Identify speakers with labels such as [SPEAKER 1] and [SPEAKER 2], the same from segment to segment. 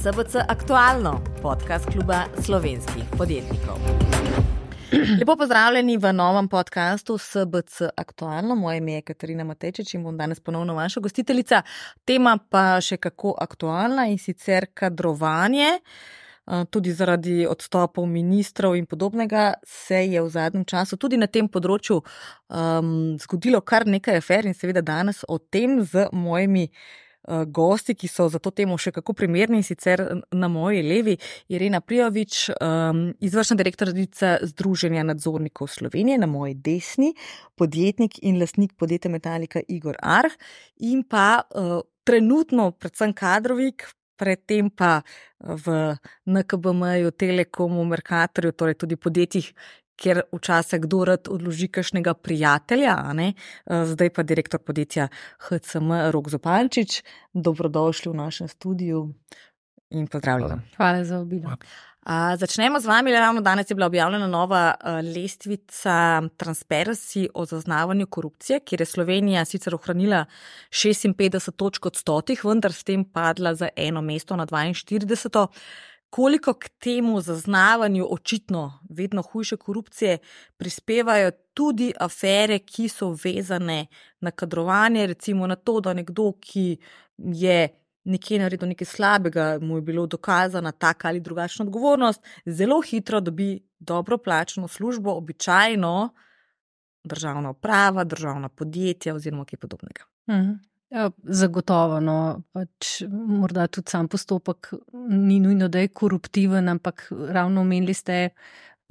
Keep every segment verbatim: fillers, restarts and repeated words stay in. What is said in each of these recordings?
[SPEAKER 1] S B C Aktualno, podcast kluba slovenskih podjetnikov. Lepo pozdravljeni v novem podcastu S B C Aktualno. Moje ime je Katarina Matejčič in bom danes ponovno vaša gostiteljica. Tema pa še kako aktualna in sicer kadrovanje. Tudi zaradi odstopov ministrov in podobnega se je v zadnjem času tudi na tem področju um, zgodilo kar nekaj afer in seveda danes o tem z mojimi uh, gosti, ki so za to temo še kako primerni, in sicer na moji levi Irena Prijović, um, izvršna direktorica Združenja nadzornikov Slovenije, na moji desni podjetnik in lastnik podjetja Metalika Igor Arh in pa uh, trenutno predvsem kadrovik, predtem pa v N K B M-ju, Telekomu, Mercatorju, torej tudi podjetjih, kjer včasih kdo rad odloži kakšnega prijatelja, a ne? Zdaj pa direktor podjetja H C M Rok Zupančič. Dobrodošli v našem studiu in pozdravljeni.
[SPEAKER 2] Hvala za obilo.
[SPEAKER 1] A, začnemo z vami. Ravno danes je bila objavljena nova a, lestvica Transparency o zaznavanju korupcije, kjer je Slovenija sicer ohranila šestinpetdeset točk od stotih, vendar s tem padla za eno mesto na dvainštirideseto. Koliko k temu zaznavanju očitno vedno hujše korupcije prispevajo tudi afere, ki so vezane na kadrovanje, recimo na to, da nekdo, ki je nekje naredil nekaj slabega, mu je bilo dokazana taka ali drugačna odgovornost, zelo hitro dobi dobro plačano službo, običajno državna uprava, državna podjetja oziroma kaj podobnega.
[SPEAKER 2] Mhm. Ja, zagotovo, no, pač morda tudi sam postopek ni nujno, da je koruptiven, ampak ravno omenili ste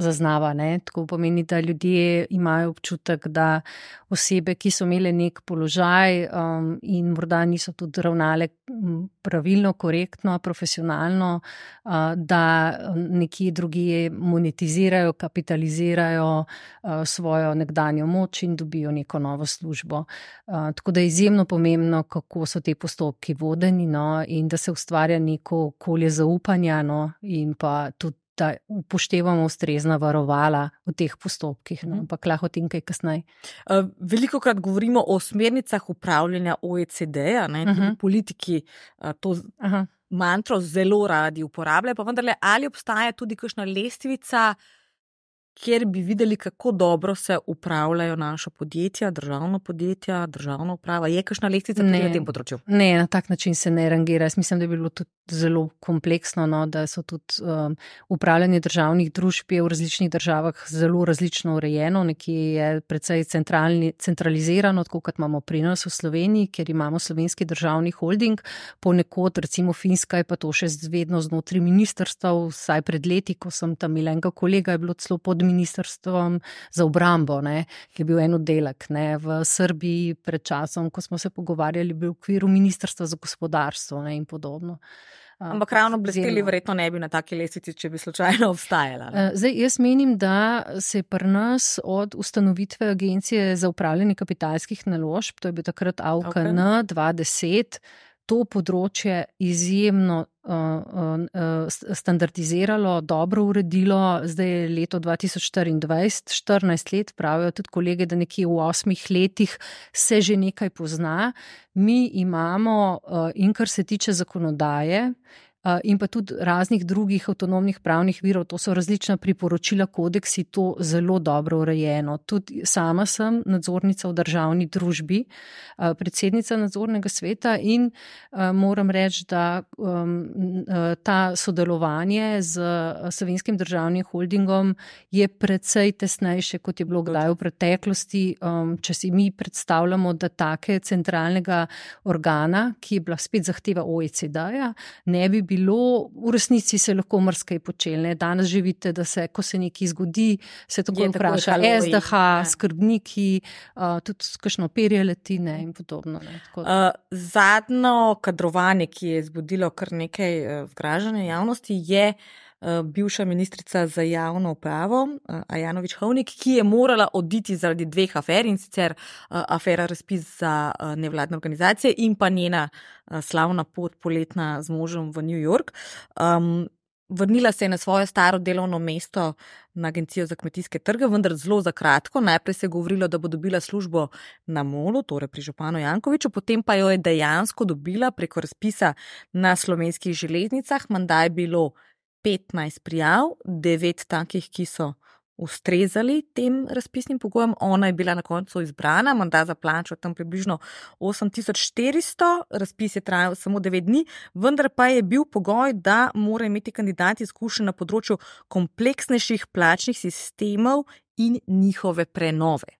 [SPEAKER 2] zaznava, ne, tako pomeni, da ljudje imajo občutek, da osebe, ki so imele nek položaj um, in morda niso tudi ravnale pravilno, korektno, profesionalno, uh, da nekje drugje monetizirajo, kapitalizirajo uh, svojo nekdanjo moč in dobijo neko novo službo. Uh, tako da je izjemno pomembno, kako so te postopki vodeni, no, in da se ustvarja neko okolje zaupanja, no, in pa tudi da upoštevamo ustrezna varovala v teh postopkih, no, ampak lahko o tem kaj kasneje.
[SPEAKER 1] Veliko krat govorimo o smernicah upravljanja O E C D-ja, ne, tudi uh-huh. politiki to uh-huh. mantro zelo radi uporabljajo, pa vendarle, ali obstaja tudi kakšna lestvica, kjer bi videli, kako dobro se upravljajo naša podjetja, državna podjetja, državna uprava. Je kakšna lestvica tudi na tem področju?
[SPEAKER 2] Ne, na tak način se ne rangira. Jaz mislim, da je bilo tudi zelo kompleksno, no, da so tudi um, upravljanje državnih družb je v različnih državah zelo različno urejeno. Nekje je precej centralizirano, tako kot imamo pri nas v Sloveniji, ker imamo slovenski državni holding. Ponekod, recimo Finska, je pa to še vedno znotraj ministrstev. Vsaj pred leti, ko sem tam imela enega kolega, je bilo celo pod ministrstvom za obrambo, ne, ki je bil en oddelek, ne. V Srbiji pred časom, ko smo se pogovarjali, bil v okviru ministrstva za gospodarstvo, ne, in podobno.
[SPEAKER 1] Ampak ravno blesteli verjetno ne bi na taki lestvici, če bi slučajno obstajala.
[SPEAKER 2] Zdaj, jaz menim, da se je pri nas od ustanovitve Agencije za upravljanje kapitalskih naložb, to je bil takrat A U K N okay. dva deset, to področje izjemno uh, uh, standardiziralo, dobro uredilo. Zdaj je leto dva tisoč štiriindvajset, štirinajst let, pravijo tudi kolege, da nekje v osmih letih se že nekaj pozna. Mi imamo uh, in kar se tiče zakonodaje, in pa tudi raznih drugih avtonomnih pravnih virov, to so različna priporočila, kodeksi, to zelo dobro urejeno. Tudi sama sem nadzornica v državni družbi, predsednica nadzornega sveta in moram reči, da ta sodelovanje z Slovenskim državnim holdingom je precej tesnejše, kot je bilo kdaj v preteklosti. Če si mi predstavljamo, da take centralnega organa, ki je bila spet zahteva O E C D-ja, ne bi bilo, v resnici se lahko marsikaj počelne. Danes že vidite, da se, ko se nekaj zgodi, se tako vpraša S D H, ne. Skrbniki, uh, tudi kakšno perje letine in podobno. Ne,
[SPEAKER 1] uh, zadnjo kadrovanje, ki je zbudilo kar nekaj uh, zgražanja javnosti, je bivša ministrica za javno upravo, Ajanović Hovnik, ki je morala oditi zaradi dveh afer, in sicer afera razpis za nevladne organizacije in pa njena slavna pot poletna z možem v New York. Um, vrnila se je na svoje staro delovno mesto na Agencijo za kmetijske trge, vendar zelo za kratko. Najprej se je govorilo, da bo dobila službo na Molu, torej pri županu Jankoviću, potem pa jo je dejansko dobila preko razpisa na Slovenskih železnicah. Menda je bilo petnajst prijav, devet takih, ki so ustrezali tem razpisnim pogojem. Ona je bila na koncu izbrana, menda za plačo tam približno osem tisoč štiristo, razpis je trajal samo devet dni, vendar pa je bil pogoj, da mora imeti kandidat izkušenj na področju kompleksnejših plačnih sistemov in njihove prenove.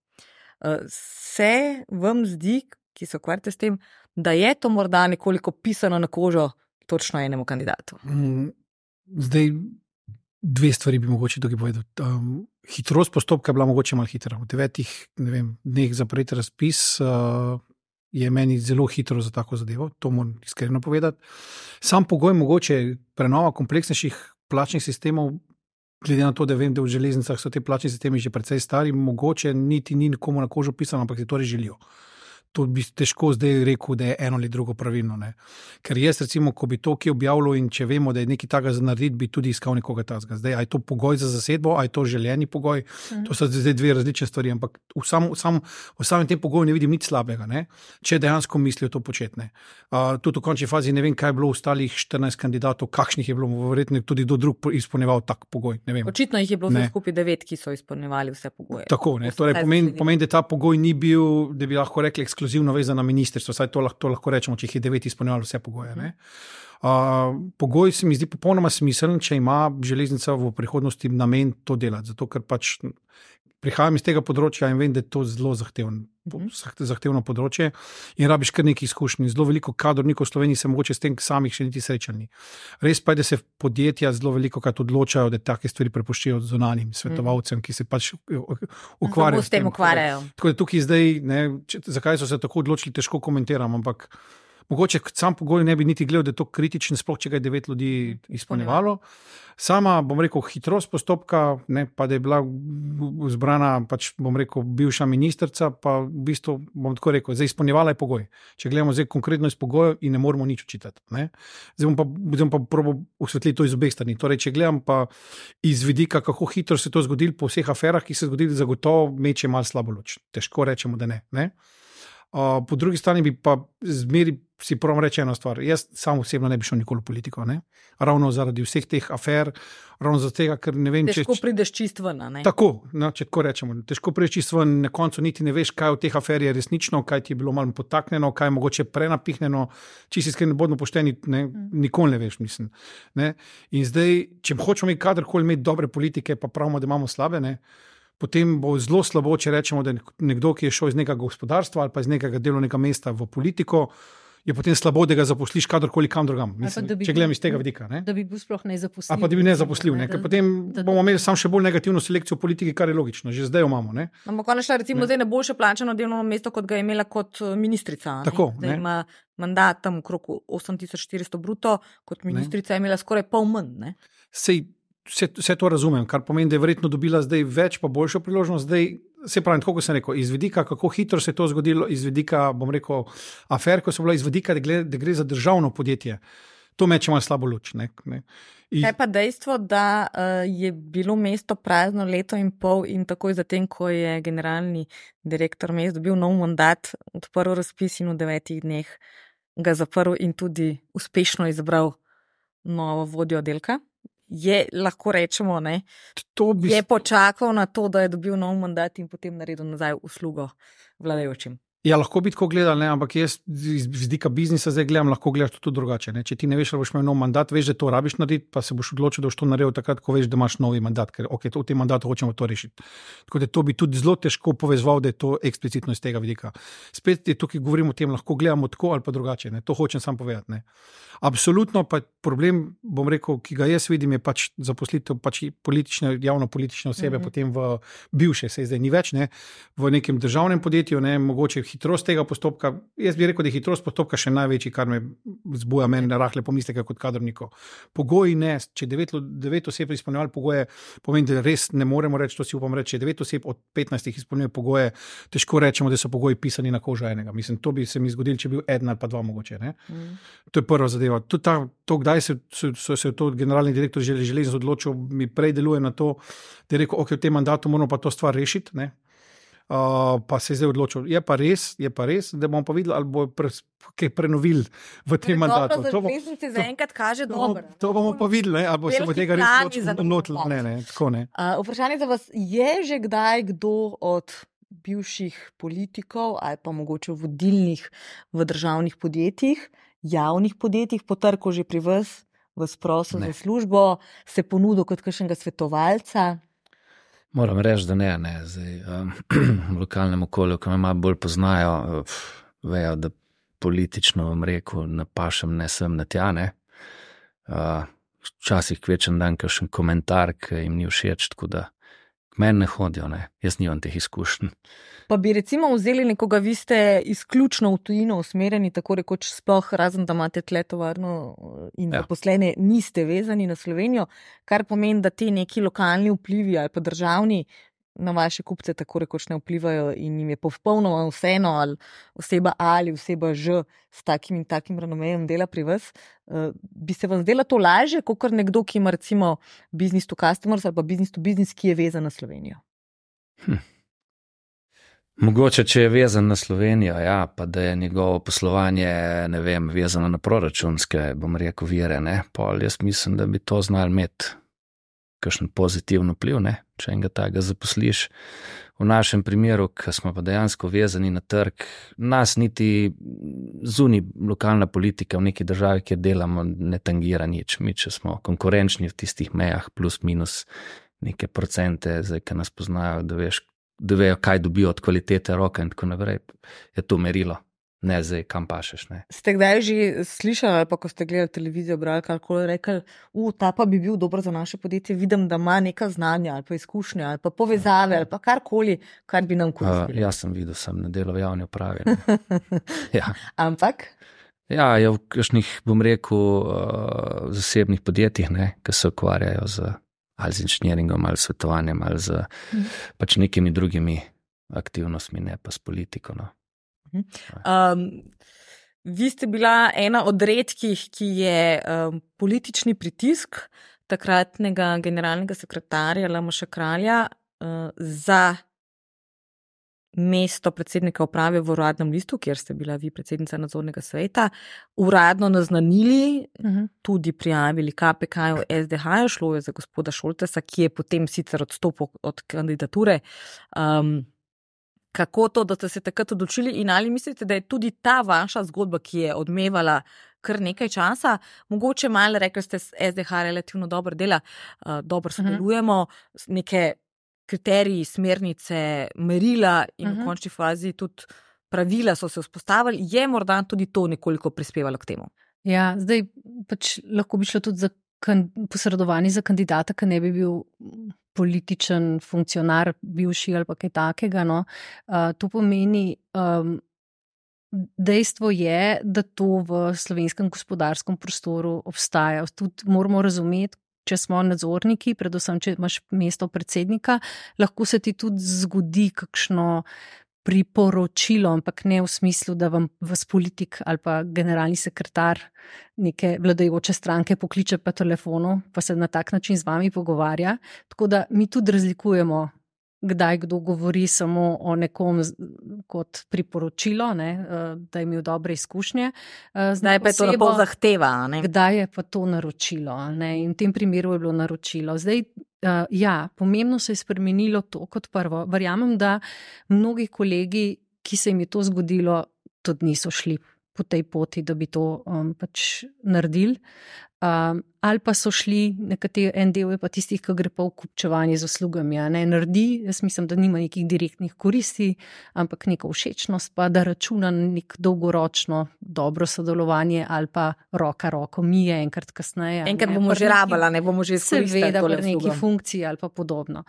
[SPEAKER 1] Se vam zdi, ki se ukvarjate s tem, da je to morda nekoliko pisano na kožo točno enemu kandidatu?
[SPEAKER 3] Zdaj, dve stvari bi mogoče tukaj povedal. Um, hitrost postopka je bila mogoče malo hitra. V devetih ne vem, dneh zapreti razpis uh, je meni zelo hitro za tako zadevo, to moram iskreno povedati. Sam pogoj mogoče prenova kompleksnejših plačnih sistemov, glede na to, da vem, da v železnicah so te plačni sistemi že precej stari, mogoče niti ni nikomu na kožo pisano, ampak si to res želijo. To bi težko zdaj rekel, da je eno ali drugo pravilno. Ne? Ker jaz recimo, ko bi to ki objavljal in če vemo, da je nekaj takega za narediti, bi tudi iskal nekoga tazga. Zdaj, a je to pogoj za zasedbo, a je to željeni pogoj, mm. to so zdaj dve različne stvari, ampak v, sam, sam, v samem tem pogoju ne vidim nič slabega, ne? Če dejansko mislijo to početne. Uh, tudi v končni fazi ne vem, kaj je bilo ostalih štirinajst kandidatov, kakšnih je bilo, verjetno tudi do drug izpolnjeval tak pogoj. Ne vem.
[SPEAKER 1] Očitno jih je bilo vse skupaj devet, ki so izpolnjevali vse pogoje.
[SPEAKER 3] Tako, ne? Torej pomeni, pomen, da ta pogoj ni bil, da bi lahko rekli ekskluzivno vezan na ministrstvo, saj to lahko, to lahko rečemo, če jih je devet izpolnjevalo vse pogoje. Ne? Uh, pogoj se mi zdi popolnoma smiseln, če ima železnica v prihodnosti namen to delati, zato ker pač prihajam iz tega področja in vem, da je to zelo zahtevno, zahtevno področje in rabiš kar nekaj izkušnji. Zelo veliko kadrovnikov v Sloveniji se mogoče s tem samih še niti srečali. Res pa je, da se podjetja zelo veliko krat odločajo, da take stvari prepuščajo zunanjim svetovalcem, ki se pač ukvarjajo
[SPEAKER 1] s tem. Ukvarjajo.
[SPEAKER 3] Tako da tukaj zdaj, ne, če, zakaj so se tako odločili, težko komentiram, ampak mogoče sam pogoj ne bi niti gledal, da je to kritičen, sploh če ga je devet ljudi izpolnjevalo. Sama, bom rekel, hitrost postopka, ne, pa da je bila zbrana, pač bom rekel, bivša ministrica, pa v bistvu, bom tako rekel, zdaj izpolnjevala je pogoj. Če gledamo zdaj konkretno iz pogojev in ne moramo nič očitati. Ne. Zdaj bom pa, zdaj bom pa probal osvetliti to iz obeh strani. Torej, če gledam pa iz vidika, kako hitro se to zgodilo po vseh aferah, ki se zgodili, zagotovo meče malo slabo luč. Težko rečemo, da ne. ne. Uh, po drugi strani bi pa zmeri si prvom reči eno stvar. Jaz sam osebno ne bi šel nikoli v politiko. Ne? Ravno zaradi vseh teh afer, ravno zaradi tega, ker ne vem,
[SPEAKER 1] težko če... Težko prideš čist ven, ne?
[SPEAKER 3] Tako, no, če tako rečemo. Težko prideš čist ven, na koncu niti ne veš, kaj od teh afer je resnično, kaj ti je bilo malo potaknjeno, kaj je mogoče prenapihnjeno, če si iskreno bodno pošteni, ne, nikoli ne veš, mislim. Ne? In zdaj, če hočemo imeti kadarkoli imeti dobre politike, pa pravimo, da imamo slabe, ne? Potem bo zelo slabo, če rečemo, da nekdo, ki je šel iz nekega gospodarstva ali pa iz nekega delovnega mesta v politiko, je potem slabo, da ga zaposliš kadarkoli kam drugam. Mislim, bi, če gledam iz tega vidika. Ne?
[SPEAKER 2] Da bi bil sploh nezaposljiv.
[SPEAKER 3] A pa da bi nezaposljiv, ne? Ker potem da, da, bomo imeli samo še bolj negativno selekcijo v politiki, kar je logično. Že zdaj jo imamo. Ne?
[SPEAKER 1] Ampak ona šla recimo ne. zdaj na boljše plačano delovno mesto, kot ga je imela kot ministrica.
[SPEAKER 3] Tako,
[SPEAKER 1] zdaj ima mandat tam okrog osem tisoč štiristo bruto, kot ministrica ne. je imela skoraj pol manj. Ne?
[SPEAKER 3] Sej, Vse, vse to razumem, kar pomeni, da je verjetno dobila zdaj več pa boljšo priložnost. Zdaj, se pravi, tako kot sem rekel, iz vidika, kako hitro se je to zgodilo, iz vidika, bom rekel, afer, ko so bila iz vidika, da, gled, da gre za državno podjetje. To meče malo slabo luč. Ne, ne. I...
[SPEAKER 1] Kaj pa dejstvo, da uh, je bilo mesto prazno leto in pol in takoj zatem, ko je generalni direktor mest dobil nov mandat, odprl razpis in v devetih dneh ga zaprl in tudi uspešno izbral novo vodjo oddelka? Je, lahko rečemo, ne, bi... je počakal na to, da je dobil nov mandat in potem naredil nazaj uslugo vladajočim.
[SPEAKER 3] Ja, lahko bi tako gledal, ne, ampak jaz iz vidika biznisa zdaj gledam, lahko gledaš to tudi drugače. Ne. Če ti ne veš, da boš imel nov mandat, veš, da to rabiš narediti, pa se boš odločil, da boš to naredil takrat, ko veš, da imaš novi mandat, ker ok, to, v tem mandatu hočemo to rešiti. Tako da to bi tudi zelo težko povezval, da je to eksplicitno iz tega vidika. Spet je tukaj govorimo o tem, lahko gledamo tako ali pa drugače, ne. To hočem sam povedati. Ne. Absolutno pa problem, bom rekel, ki ga jaz vidim, je pač zaposlitev pač politične, javno-politične osebe, mm-hmm. potem v bivše, se zdaj ni več, ne, v nekem državnem podjetju, ne, mogoče hitrost tega postopka, jaz bi rekel, da je hitrost postopka še največji, kar me zbuja meni na rahle pomisleke kot kadrovnikov. Pogoji ne, če devet, devet oseb izpolnjevali pogoje, pomeni, da res ne moremo reči, to si upam reči, če devet oseb od petnajstih izpolnjuje pogoje, težko rečemo, da so pogoji pisani na kožo enega. Mislim, to bi se mi zgodilo, če bi bil eden ali pa dva mogoče. Ne? Mm. To je prva zadeva. To, ta, to kdaj se, so, so se to generalni direktor železnic odločil, mi prej deluje na to, da je rekel, ok, v tem mandatu moramo pa to stvar rešiti, ne? Uh, pa se je zdaj odločil. Je pa res, je pa res, da bomo pa videli, ali bo pre, kaj prenovili v tem mandatu.
[SPEAKER 1] To, bo, to, zaenkrat kaže
[SPEAKER 3] to,
[SPEAKER 1] dobro.
[SPEAKER 3] To bomo pa videli, ali bo se bo tega res odločil. Ne, ne, tako ne.
[SPEAKER 1] Uh, vprašanje za vas, je že kdaj kdo od bivših politikov ali pa mogoče vodilnih v državnih podjetjih, javnih podjetjih, potrkal že pri vas, vas prosil za službo, se ponudil kot kakšnega svetovalca?
[SPEAKER 4] Moram reči, da ne, ne. Zdaj, um, v lokalnem okolju, ki me malo bolj poznajo, vejo, da politično vam rekel, napašem ne sem na tja, ne. Uh, včasih kvečen dan kakšen komentar, ki jim ni všeč, tako da k meni ne hodijo, ne. Jaz nimam teh izkušenj.
[SPEAKER 1] Pa bi recimo vzeli nekoga, vi ste izključno v tujino usmerjeni, tako rekoč sploh, razen da imate tle tovarno in ja. Zaposlene, niste vezani na Slovenijo, kar pomeni, da ti neki lokalni vplivi ali pa državni na vaše kupce tako rekoč ne vplivajo in jim je popolnoma vseeno, ali oseba A ali oseba Ž s takim in takim renomejem dela pri vas. Uh, bi se vam zdela to lažje, kakor nekdo, ki ima recimo business to customers ali pa business to business, ki je vezan na Slovenijo?
[SPEAKER 4] Hm. Mogoče, če je vezan na Slovenijo, ja, pa da je njegovo poslovanje, ne vem, vezano na proračunske, bom rekel, vire, ne, pol jaz mislim, da bi to znali imeti kakšen pozitiven vpliv, ne, če enega takega zaposliš. V našem primeru, ki smo pa dejansko vezani na trg, nas niti zunaj lokalna politika v neki državi, kjer delamo, ne tangira nič. Mi, če smo konkurenčni v tistih mejah, plus minus neke procente, zdaj, ki nas poznajo, da veš, da vejo, kaj dobijo od kvalitete roka in tako naprej, je to merilo. Ne zdaj, kam pašeš, ne.
[SPEAKER 1] Ste kdaj že slišali, ali pa ko ste gledali televizijo, brali, kako rekli, u, ta pa bi bil dober za naše podjetje, vidim, da ima neka znanja, ali pa izkušnje, ali pa povezave, ali pa karkoli, kar bi nam koristilo.
[SPEAKER 4] Uh, jaz sem videl, sem na delu v javni upravi. Ja.
[SPEAKER 1] Ampak?
[SPEAKER 4] Ja, je v kakšnih, bom rekel, uh, zasebnih podjetjih, ne, ki se ukvarjajo z ali z inženjeringom, ali s svetovanjem, ali z mm. pač nekimi drugimi aktivnostmi, ne pa s politiko. No.
[SPEAKER 1] Um, vi ste bila ena od redkih, ki je um, politični pritisk takratnega generalnega sekretarja Lamaša Kralja uh, za mesto predsednika uprave v Uradnem listu, kjer ste bila vi predsednica nadzornega sveta, uradno naznanili, uh-huh. tudi prijavili K P K-ju S D H-ju, šlo je za gospoda Šoltesa, ki je potem sicer odstopil od kandidature. Um, kako to, da ste se takrat odločili in ali mislite, da je tudi ta vaša zgodba, ki je odmevala kar nekaj časa, mogoče malo, rekli ste, S D H relativno dobro dela, uh, dobro sodelujemo, uh-huh. neke kriteriji, smernice, merila in uh-huh. v končni fazi tudi pravila so se vzpostavili, je morda tudi to nekoliko prispevalo k temu?
[SPEAKER 2] Ja, zdaj pač lahko bi šlo tudi za kan- posredovanje za kandidata, ki ne bi bil političen funkcionar, bivši ali pa kaj takega. No. Uh, to pomeni, um, dejstvo je, da to v slovenskem gospodarskem prostoru obstaja. Tudi moramo razumeti, če smo nadzorniki, predvsem, če imaš mesto predsednika, lahko se ti tudi zgodi kakšno priporočilo, ampak ne v smislu, da vam vas politik ali pa generalni sekretar neke vladajoče stranke pokliče po telefonu, pa se na tak način z vami pogovarja. Tako da mi tudi razlikujemo, kdaj kdo govori samo o nekom kot priporočilo, ne, da je imel dobre izkušnje.
[SPEAKER 1] Zdaj pa je to napol zahteva. Ne?
[SPEAKER 2] Kdaj je pa to naročilo. Ne? In v tem primeru je bilo naročilo. Zdaj, ja, pomembno se je spremenilo to kot prvo. Verjamem, da mnogi kolegi, ki se jim je to zgodilo, tudi niso šli po tej poti, da bi to um, pač naredili. Um, ali pa so šli, nekateri, en del je pa tistih, ki gre pa v kupčevanje z uslugami, ne naredi, jaz mislim, da nima nekih direktnih koristi, ampak neko všečnost, pa da računa na nek dolgoročno dobro sodelovanje ali pa roka roko mije enkrat kasneje.
[SPEAKER 1] Enkrat bomo že rabala, ne bomo že izkoristili.
[SPEAKER 2] Seveda, v neki funkciji ali pa podobno.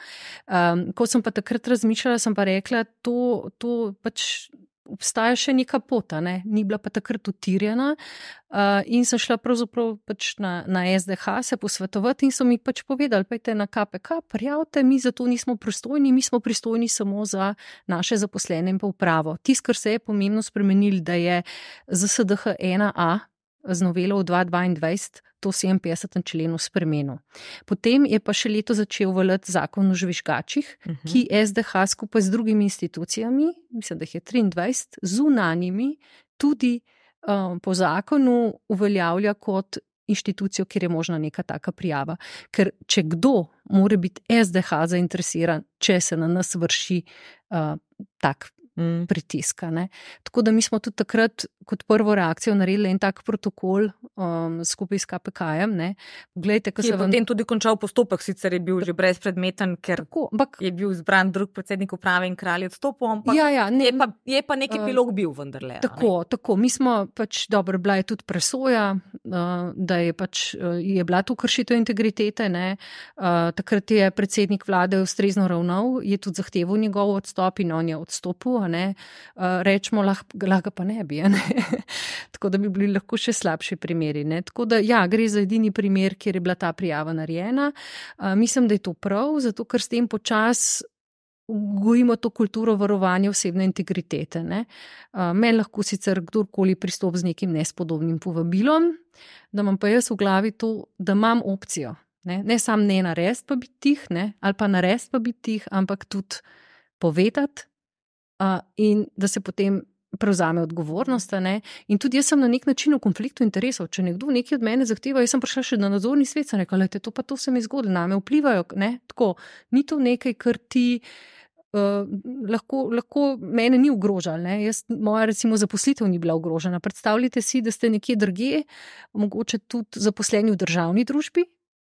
[SPEAKER 2] Um, ko sem pa takrat razmišljala, sem pa rekla, to, to pač obstaja še neka pota, ne? Ni bila pa takrat utirjena uh, in sem šla pravzaprav pač na, na S D H se posvetovati in so mi pač povedali, pejte na K P K, prijavite, mi za to nismo pristojni, mi smo pristojni samo za naše zaposlene in pa upravo. Tisto, kar se je pomembno spremenili, da je Z S D H ena A z novelo v dva tisoč dvaindvajset to sedeminpetdesetem členu spremenil. Potem je pa še leto začel veljati zakon o žvižgačih, uh -huh. ki S D H skupaj z drugimi institucijami, mislim, da jih je triindvajset, zunanjimi, tudi um, po zakonu uveljavlja kot inštitucijo, kjer je možna neka taka prijava. Ker če kdo mora biti S D H zainteresiran, če se na nas vrši uh, tak Mm. pritiska. Ne. Tako da mi smo tudi takrat kot prvo reakcijo naredili en tak protokol um, skupaj s K P K-jem. Ne. Poglejte,
[SPEAKER 1] ki je vam... potem tudi končal postopek, sicer je bil že brezpredmeten, ker
[SPEAKER 2] tako, bak...
[SPEAKER 1] je bil izbran drug predsednik uprave in kralj odstopil, ampak
[SPEAKER 2] ja, ja, ne,
[SPEAKER 1] je, pa, je pa nek epilog uh, bil vendarle.
[SPEAKER 2] Tako, tako. Mi smo pač, dobro, bila je tudi presoja, uh, da je pač uh, je bila tu kršitev integritete. Ne. Uh, takrat je predsednik vlade ustrezno ravnal, je tudi zahteval njegov odstop in on je odstopil. Ne, uh, rečemo, lahko lah pa ne bi, ne? Tako da bi bili lahko še slabši primeri. Ne? Tako da, ja, gre za edini primer, kjer je bila ta prijava narejena. Uh, mislim, da je to prav, zato ker s tem počas gojimo to kulturo varovanja osebne integritete. Ne? Uh, meni lahko sicer kdorkoli pristop z nekim nespodobnim povabilom, da imam pa jaz v glavi to, da imam opcijo. Ne, ne sam ne narediti pa biti tih, ne? Ali pa narediti pa biti tih, ampak tudi povedati, Uh, in da se potem prevzame odgovornost. Ne? In tudi jaz sem na nek način v konfliktu interesov. Če nekdo nekaj od mene zahteva, jaz sem prišla še na nadzorni svet, sem rekla, lejte, to pa to se mi zgodi, name vplivajo. Ne? Tako, ni to nekaj, kar ti uh, lahko, lahko mene ni ogrožalo. Ne? Jaz, moja recimo zaposlitev ni bila ogrožena. Predstavljajte si, da ste nekje drugje, mogoče tudi zaposleni v državni družbi,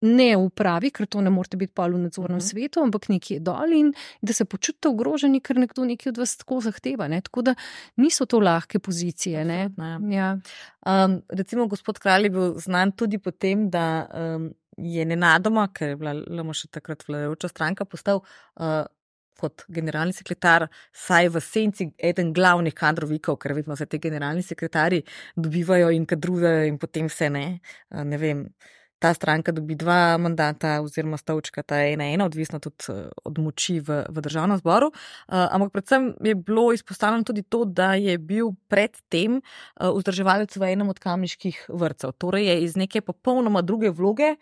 [SPEAKER 2] ne v upravi, ker to ne morate biti pa v nadzornem uh -huh. svetu, ampak nekje dol in da se počutite ogroženi, ker nekdo nekaj od vas tako zahteva. Ne? Tako da niso to lahke pozicije. Ne? Ja.
[SPEAKER 1] Um, recimo gospod Kralj je bil znan tudi po tem, da um, je nenadoma, ker je bila L M Š takrat vladajoča stranka, postal uh, kot generalni sekretar, saj v senci eden glavnih kadrovikov, ker vidimo, se te generalni sekretarji dobivajo in kadrujejo in potem se ne, uh, ne vem, ta stranka dobi dva mandata oziroma stavčka, ta ena ena, odvisno tudi od moči v, v državnem zboru. Uh, ampak predvsem je bilo izpostavljeno tudi to, da je bil pred tem uh, vzdrževalec v enem od kamniških vrtcev. Torej je iz neke popolnoma druge vloge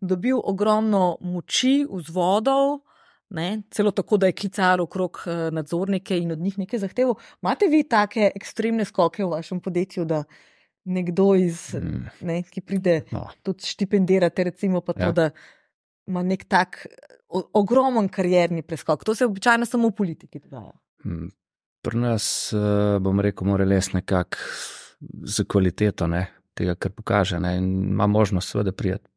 [SPEAKER 1] dobil ogromno moči, vzvodov, ne, celo tako, da je klical okrog uh, nadzornike in od njih nekaj zahteval. Imate vi take ekstremne skoke v vašem podjetju, da nekdo, iz, ne, ki pride no. tudi štipendirati, recimo pa to, ja. da ima nek tak o, ogromen karierni preskok. To se običajno samo v politiki dogaja.
[SPEAKER 4] Pri nas, bom rekel, mora les nekako za kvaliteto ne, tega, kar pokaže. Ne, in ima možnost seveda prijeti.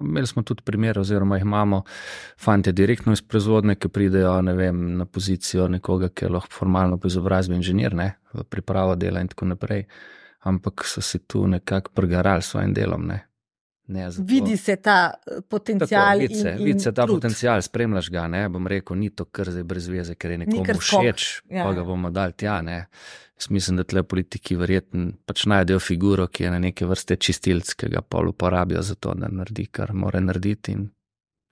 [SPEAKER 4] Imeli smo tudi primer, oziroma jih imamo fante direktno iz proizvodne, ki pridejo ne vem, na pozicijo nekoga, ki je lahko formalno po izobrazbi inženir, ne, v pripravo dela in tako naprej. Ampak so se tu nekako pregarali s svojim delom. Ne. Ne, zato...
[SPEAKER 1] Vidi se ta potencial.
[SPEAKER 4] Tako, vidi se,
[SPEAKER 1] in,
[SPEAKER 4] vidi se ta
[SPEAKER 1] trud.
[SPEAKER 4] potencial, spremljaš ga, ne, bom rekel, ni to kar zdaj brez veze, ker je nekomu všeč, ja. pa ga bomo dali tja. Ne. Mislim, da tle politiki verjetno pač najdejo figuro, ki je na neke vrste čistilc, ki ga pol uporabijo za to, da naredi, kar mora narediti in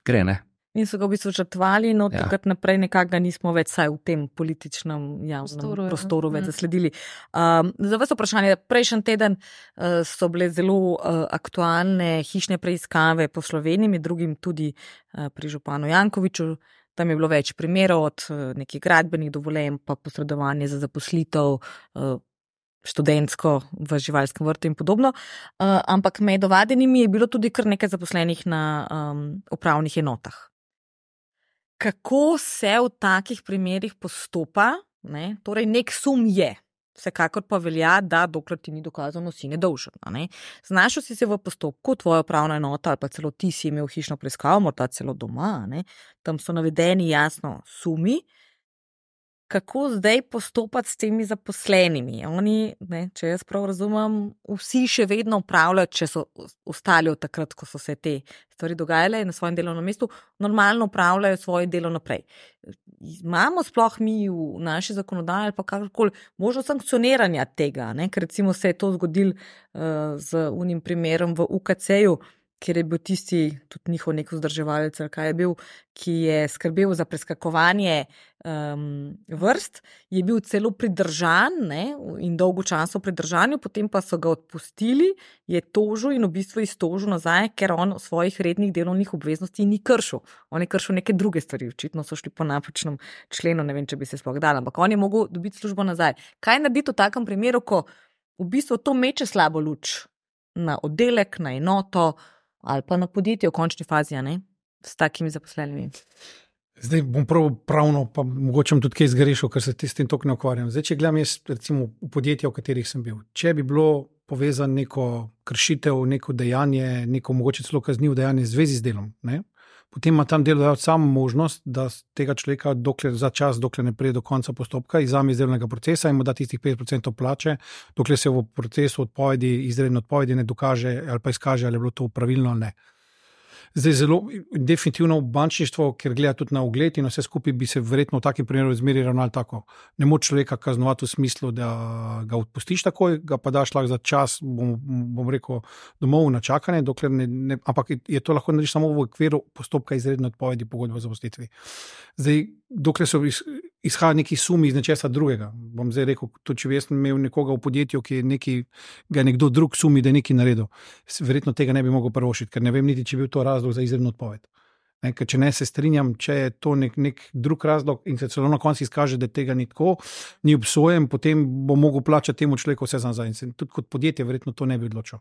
[SPEAKER 4] gre, ne.
[SPEAKER 1] In so ga v bistvu žrtvali, no ja. takrat naprej nekako nismo več saj v tem političnem javnem prostoru, prostoru več zasledili. Um, za vas vprašanje, prejšnji teden uh, so bile zelo uh, aktualne hišne preiskave po Sloveniji, med drugim tudi uh, pri županu Jankoviću. Tam je bilo več primerov od uh, nekih gradbenih dovoljenj, pa posredovanje za zaposlitev, uh, študentsko v živalskem vrtu in podobno. Uh, ampak med ovadenimi je bilo tudi kar nekaj zaposlenih na um, upravnih enotah. Kako se v takih primerih postopa, ne? Torej nek sum je, vsekakor pa velja, da dokler ti ni dokazano, si nedolžen. Ne? Znašel si se v postopku, tvoja upravna enota ali pa celo ti si imel hišno preiskavo, morda celo doma, ne? Tam so navedeni jasno sumi. Kako zdaj postopati s temi zaposlenimi? Oni, ne, če jaz prav razumem, vsi še vedno upravljajo, če so ostali od takrat, ko so se te stvari dogajale na svojem delovnem mestu, normalno upravljajo svoje delo naprej. imamo sploh mi v naši zakonodaji ali pa kakorkoli možnost sankcioniranja tega, ne? Ker recimo se je to zgodilo uh, z unim primerom v U K C-ju, kjer je bil tisti, tudi njihov nek vzdrževalec, kaj je bil, ki je skrbel za preskakovanje um, vrst, je bil celo pridržan, ne, in dolgo časa v pridržanju, potem pa so ga odpustili, je tožil in v bistvu iztožil nazaj, ker on svojih rednih delovnih obveznosti ni kršil. On je kršil neke druge stvari, očitno so šli po napačnem členu, ne vem, če bi se sploh dal, ampak on je mogel dobiti službo nazaj. Kaj narediti v takem primeru, ko v bistvu to meče slabo luč na oddelek, na enoto, ali pa na podjetje v končni fazi, ne, s takimi zaposlenimi.
[SPEAKER 3] Zdaj bom prav pravno, pa mogoče tudi kaj zgrešil, ker se s tem toliko ne ukvarjam. Zdaj, če gledam jaz recimo v podjetja, v katerih sem bil, če bi bilo povezano neko kršitev, neko dejanje, neko mogoče celo kaznivo dejanje v zvezi z delom, ne, potem ima tam delodajalec samo možnost, da tega človeka dokler, za čas, dokler ne pride do konca postopka, izvzame iz delovnega procesa in mu da tistih pet procentov plače, dokler se v procesu odpovedi, izredne odpovedi ne dokaže ali pa izkaže, ali je bilo to pravilno ali ne. Zdaj zelo definitivno v bančništvu, ker gleda tudi na ugled in vse skupaj, bi se verjetno v takem primeru zmeri ravnali tako. Ne moč človeka kaznovati v smislu, da ga odpustiš takoj, ga pa daš lahko za čas, bom, bom rekel, domov na čakanje, dokler ne, ne, ampak je to lahko narediš samo v okviru postopka izredne odpovedi pogodbe o zaposlitvi. Zdaj, dokler so iz, izhaja neki sumi iz nečesa drugega, bom zdaj rekel, tudi če bi jaz imel nekoga v podjetju, ki je neki, ga je nekdo drug sumi, da je nekaj naredil, verjetno tega ne bi mogel prvošiti, ker ne vem niti, če bi bil to razlog za izredno odpoved. Ne, ker če ne se strinjam, če je to nek, nek drug razlog in se celo na koncu izkaže, da tega ni tako, ni obsojen, potem bo mogel plačati temu človeku vse nazaj. In tudi kot podjetje verjetno to ne bi odločil.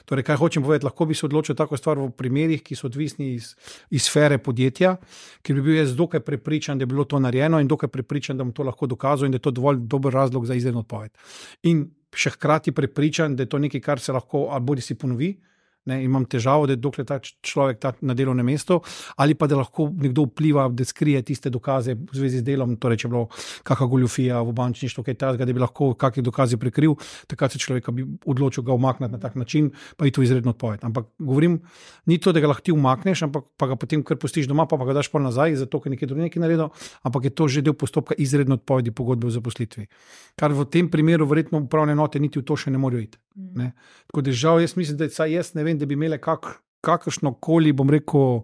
[SPEAKER 3] Torej, kaj hočem povedati, lahko bi se odločil tako stvar v primerih, ki so odvisni iz, iz sfere podjetja, ker bi bil jaz dokaj prepričan, da je bilo to narejeno in dokaj prepričan, da bom to lahko dokazal in da je to dovolj dober razlog za izredno odpoved. In še hkrati prepričan, da je to nekaj, kar se lahko ali bodi si ponovi, ne, imam težavo, da je dokler ta človek ta na delovnem mestu, ali pa da lahko nekdo vpliva, da skrije tiste dokaze v zvezi z delom, torej če je bilo kakšna goljufija v bančništvu, kaj tazga, da bi lahko kakšne dokaze prekril, takrat se človeka bi odločil ga umakniti na tak način, pa je to izredno odpoved. Ampak govorim, ni to, da ga lahko ti umakneš, ampak pa ga potem kar pustiš doma, pa, pa ga daš pol nazaj, zato ker nekaj drugega naredil, ampak je to že del postopka izredne odpovedi pogodbe o zaposlitvi. Kar v tem primeru verjetno upravne enote niti v to še ne morajo iti. Ne. Tako da žal, jaz mislim, da saj jaz ne vem, da bi imele kak, kakršno koli, bom rekel,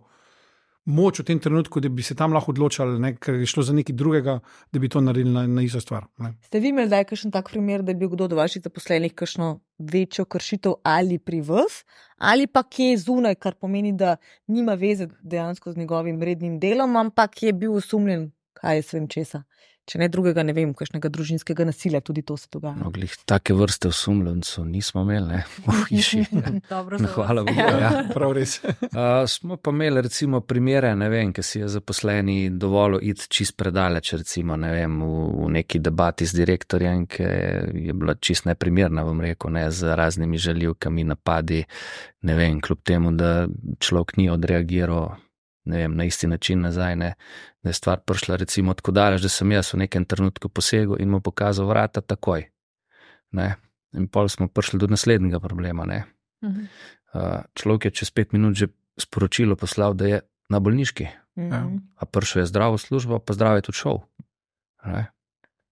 [SPEAKER 3] moč v tem trenutku, da bi se tam lahko odločali, ne, ker je šlo za nekaj drugega, da bi to naredili na, na isto stvar. Ne.
[SPEAKER 1] Ste vi imeli zdaj kakšen tak primer, da je bil kdo od vaših zaposlenih kakšno večjo kršitev ali pri vas, ali pa kje zunaj, kar pomeni, da nima veze dejansko z njegovim rednim delom, ampak je bil osumljen, kaj je svem česa. Če ne drugega, ne vem, kakšnega družinskega nasilja, tudi to se dogaja.
[SPEAKER 4] No, glih, take vrste osumljencev nismo imeli, ne, v hiši.
[SPEAKER 1] Dobro,
[SPEAKER 4] no, hvala Bogu, ja.
[SPEAKER 3] Prav res.
[SPEAKER 4] uh, smo pa imeli recimo primere, ne vem, ki si je zaposleni dovolil iti čist predaleč, recimo, ne vem, v, v neki debati z direktorjem, ki je bila čist neprimerna, bom rekel, ne, z raznimi žaljivkami, napadi, ne vem, kljub temu, da človek ni odreagiral, ne vem, na isti način nazaj, ne, da je stvar prišla recimo tako daleč, da sem jaz v nekem trenutku posegel in mu pokazal vrata takoj, ne, in pol smo prišli do naslednjega problema, ne. Uh-huh. Uh, človek je čez pet minut že sporočilo poslal, da je na bolniški, uh-huh. a prišel je zdrav v službo, pa zdrav je tudi šel, ne.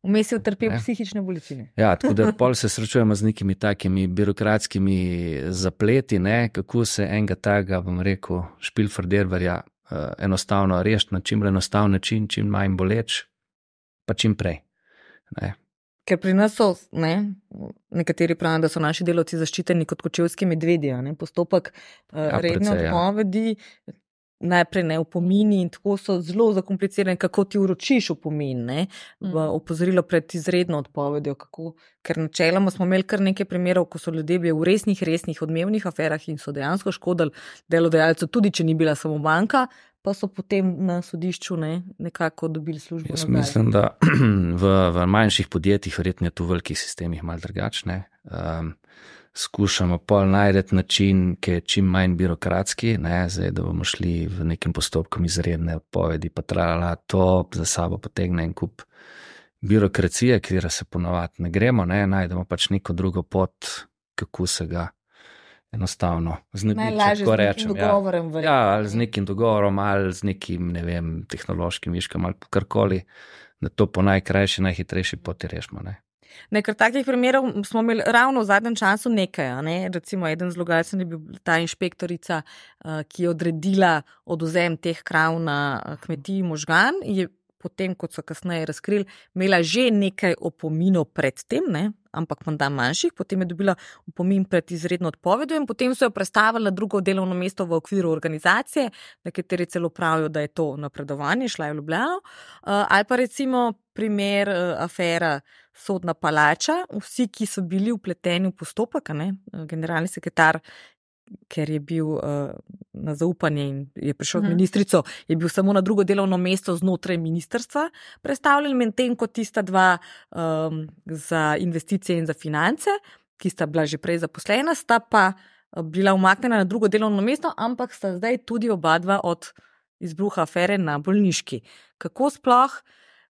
[SPEAKER 1] Vmes je utrpel psihične bolečine.
[SPEAKER 4] Ja, tako da pol se srečujemo z nekimi takimi birokratskimi zapleti, ne, kako se enega taga, bom rekel, špilferderverja uh, enostavno rešiti na čim enostaven način, čim manj boleč, pa čim prej. Ne.
[SPEAKER 1] Ker pri nas so, ne, nekateri pravijo, da so naši delavci zaščiteni kot kočevski medvedje, ne, postopek uh, ja, redne odpovedi, ja. Najprej ne upomini in tako so zelo zakomplicirani, kako ti vročiš upomin, ne, v opozorilo pred izredno odpovedjo, kako, ker načeloma smo imeli kar nekaj primerov, ko so ljudje bili v resnih, resnih odmevnih aferah in so dejansko škodili delodajalcu, tudi če ni bila samo banka, pa so potem na sodišču, ne, nekako dobili službo.
[SPEAKER 4] Jaz mislim, da v, v manjših podjetjih, verjetno je tu v velikih sistemih malo drugačne, um, skušamo pol najdeti način, ki je čim manj birokratski, ne, zdaj, da bomo šli v nekem postopku izredne odpovedi, pa trajala to za sabo potegne en kup birokracije, kjer se ponavadi ne gremo, ne, najdemo pač neko drugo pot, kako se ga enostavno znebiti,
[SPEAKER 1] najlažje
[SPEAKER 4] tako
[SPEAKER 1] z nekim
[SPEAKER 4] rečem.
[SPEAKER 1] dogovorem.
[SPEAKER 4] Ja, ja, ali z nekim dogovorom, ali z nekim, ne vem, tehnološkim viškom, ali karkoli, da to po najkrajši, najhitrejši poti rešimo. Ne?
[SPEAKER 1] Nekaj takih primerov smo imeli ravno v zadnjem času nekaj. Ne? Recimo, eden zlogajcen je bil ta inšpektorica, ki je odredila odvzem teh krav na kmetiji Možgan, je potem, kot so kasneje razkrili, imela že nekaj opominov pred tem, ne? Ampak menda manjših, potem je dobila opomin pred izredno odpovedjo in potem so jo prestavili na drugo delovno mesto v okviru organizacije, nekateri celo pravijo, da je to napredovanje, šla je v Ljubljano. Ali pa recimo primer afera Sodna palača, vsi, ki so bili vpleteni v postopek, ne? Generalni sekretar, ker je bil uh, na zaupanje in je prišel od
[SPEAKER 2] Mhm.
[SPEAKER 1] ministrico, je bil samo na drugo delovno mesto znotraj ministrstva predstavljen, medtem ko tista dva um, za investicije in za finance, ki sta bila že prej zaposlena, sta pa bila umaknjena na drugo delovno mesto, ampak sta zdaj tudi oba dva od izbruha afere na bolniški. Kako sploh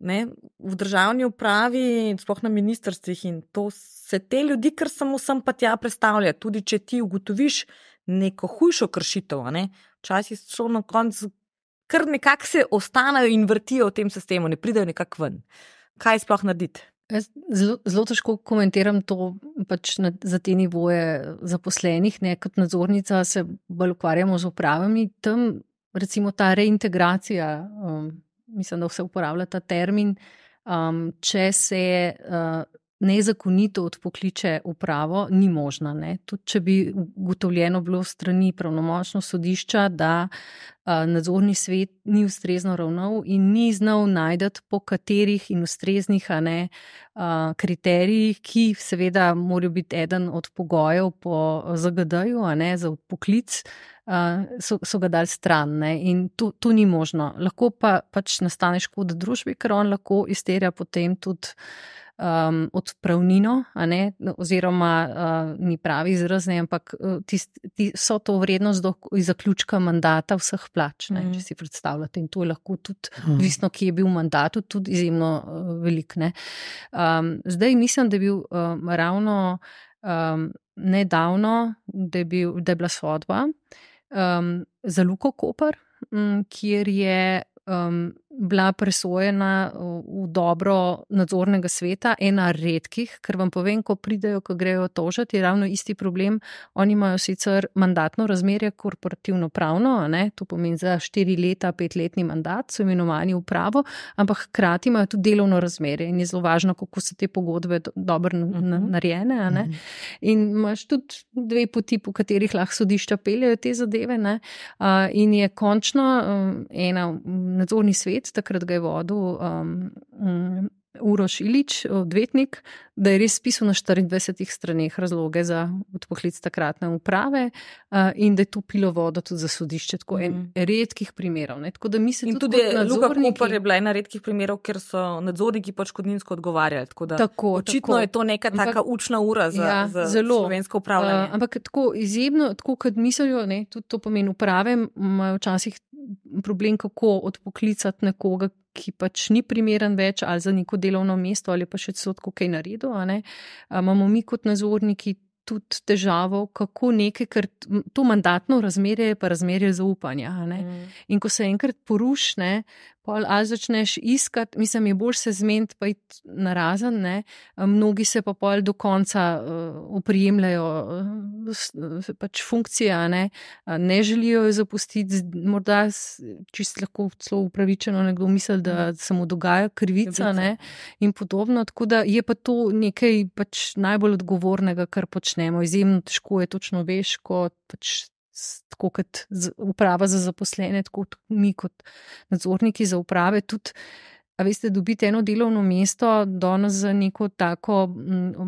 [SPEAKER 1] ne, v državni upravi, sploh na ministrstvih in to se te ljudi, kar samo sem pa tja predstavlja, tudi če ti ugotoviš neko hujšo kršitev, ne, včasih so na koncu, kar nekako se ostanejo in vrtijo v tem sistemu, ne pridejo nekako ven. Kaj sploh narediti?
[SPEAKER 2] Jaz zelo, zelo težko komentiram to pač na, za te nivoje zaposlenih, ne, kot nadzornica se bolj ukvarjamo z upravami, tam recimo ta reintegracija, um, mislim, da vse uporablja ta termin, um, če se uh, nezakonito odpokliče upravo, ni možna. Ne. Tudi če bi ugotovljeno bilo strani pravnomočno sodišča, da uh, nadzorni svet ni ustrezno ravnal in ni znal najdeti po katerih in ustreznih a ne, uh, kriterijih, ki seveda morajo biti eden od pogojev po Z G D-ju a ne, za odpoklic, uh, so, so ga dali stran. Ne. In to, to ni možno. Lahko pa pač nastane škoda družbi, ker on lahko izterja potem tudi Um, odpravnino, a ne, oziroma uh, ni pravi izraz, ne, ampak tist, tist, so to vrednost do zaključka mandata vseh plač, ne, mm. če si predstavljate. In to je lahko tudi, mm. visno, ki je bil v mandatu, tudi izjemno uh, velik. Ne. Um, zdaj mislim, da je bil um, ravno um, nedavno, da je, bil, da je bila sodba um, za Luko Koper, um, kjer je um, bila presojena v dobro nadzornega sveta, ena redkih, ker vam povem, ko pridejo, ko grejo tožati, je ravno isti problem. Oni imajo sicer mandatno razmerje korporativno pravno, a ne, to pomeni za štiri leta, petletni mandat, so imenovani v pravo, ampak hkrati imajo tudi delovno razmerje in je zelo važno, kako so te pogodbe do, dobro narejene, a ne. In imaš tudi dve poti, po katerih lahko sodišča peljejo te zadeve, ne, uh, in je končno um, ena nadzorni svet, takrat ga je vodil um, um, Uroš Ilić, odvetnik, da je res spisal na štiriindvajsetih straneh razloge za odpoklic takratne uprave uh, in da je to pilo vodo tudi za sodišče, tako en mm. redkih primerov. Ne? Tako da mi se
[SPEAKER 1] in
[SPEAKER 2] tudi,
[SPEAKER 1] tudi
[SPEAKER 2] nadzorniki...
[SPEAKER 1] Luka Koper je bila ena redkih primerov, ker so nadzorniki pač škodninsko odgovarjali. Tako da
[SPEAKER 2] tako,
[SPEAKER 1] očitno
[SPEAKER 2] tako.
[SPEAKER 1] je to neka taka ampak, učna ura za,
[SPEAKER 2] ja,
[SPEAKER 1] za
[SPEAKER 2] zelo,
[SPEAKER 1] slovensko upravljanje.
[SPEAKER 2] Uh, ampak tako izjemno, tako kot mislijo, ne, tudi to pomeni uprave, imajo včasih problem, kako odpoklicati nekoga, ki pač ni primeren več ali za neko delovno mesto ali pa še celo kaj naredil. A ne? A, imamo mi kot nadzorniki tudi težavo, kako nekaj, ker to mandatno razmerje je pa razmerje zaupanja. A ne? Mm. In ko se enkrat poruši, ne, pol ali začneš iskati, mislim, je bolj se zmeniti pa iti narazen, ne, mnogi se pa pol do konca uh, oprijemljajo uh, pač funkcije, ne, ne želijo jo zapustiti, morda čisto lahko celo upravičeno nekdo misli, da se mu dogaja krivica, ne, in podobno, tako da je pa to nekaj pač najbolj odgovornega, kar počnemo, izjemno težko je, točno veš, ko pač tako kot uprava za zaposlene, tako mi kot nadzorniki za uprave, tudi, a veste, dobiti eno delovno mesto danes za neko tako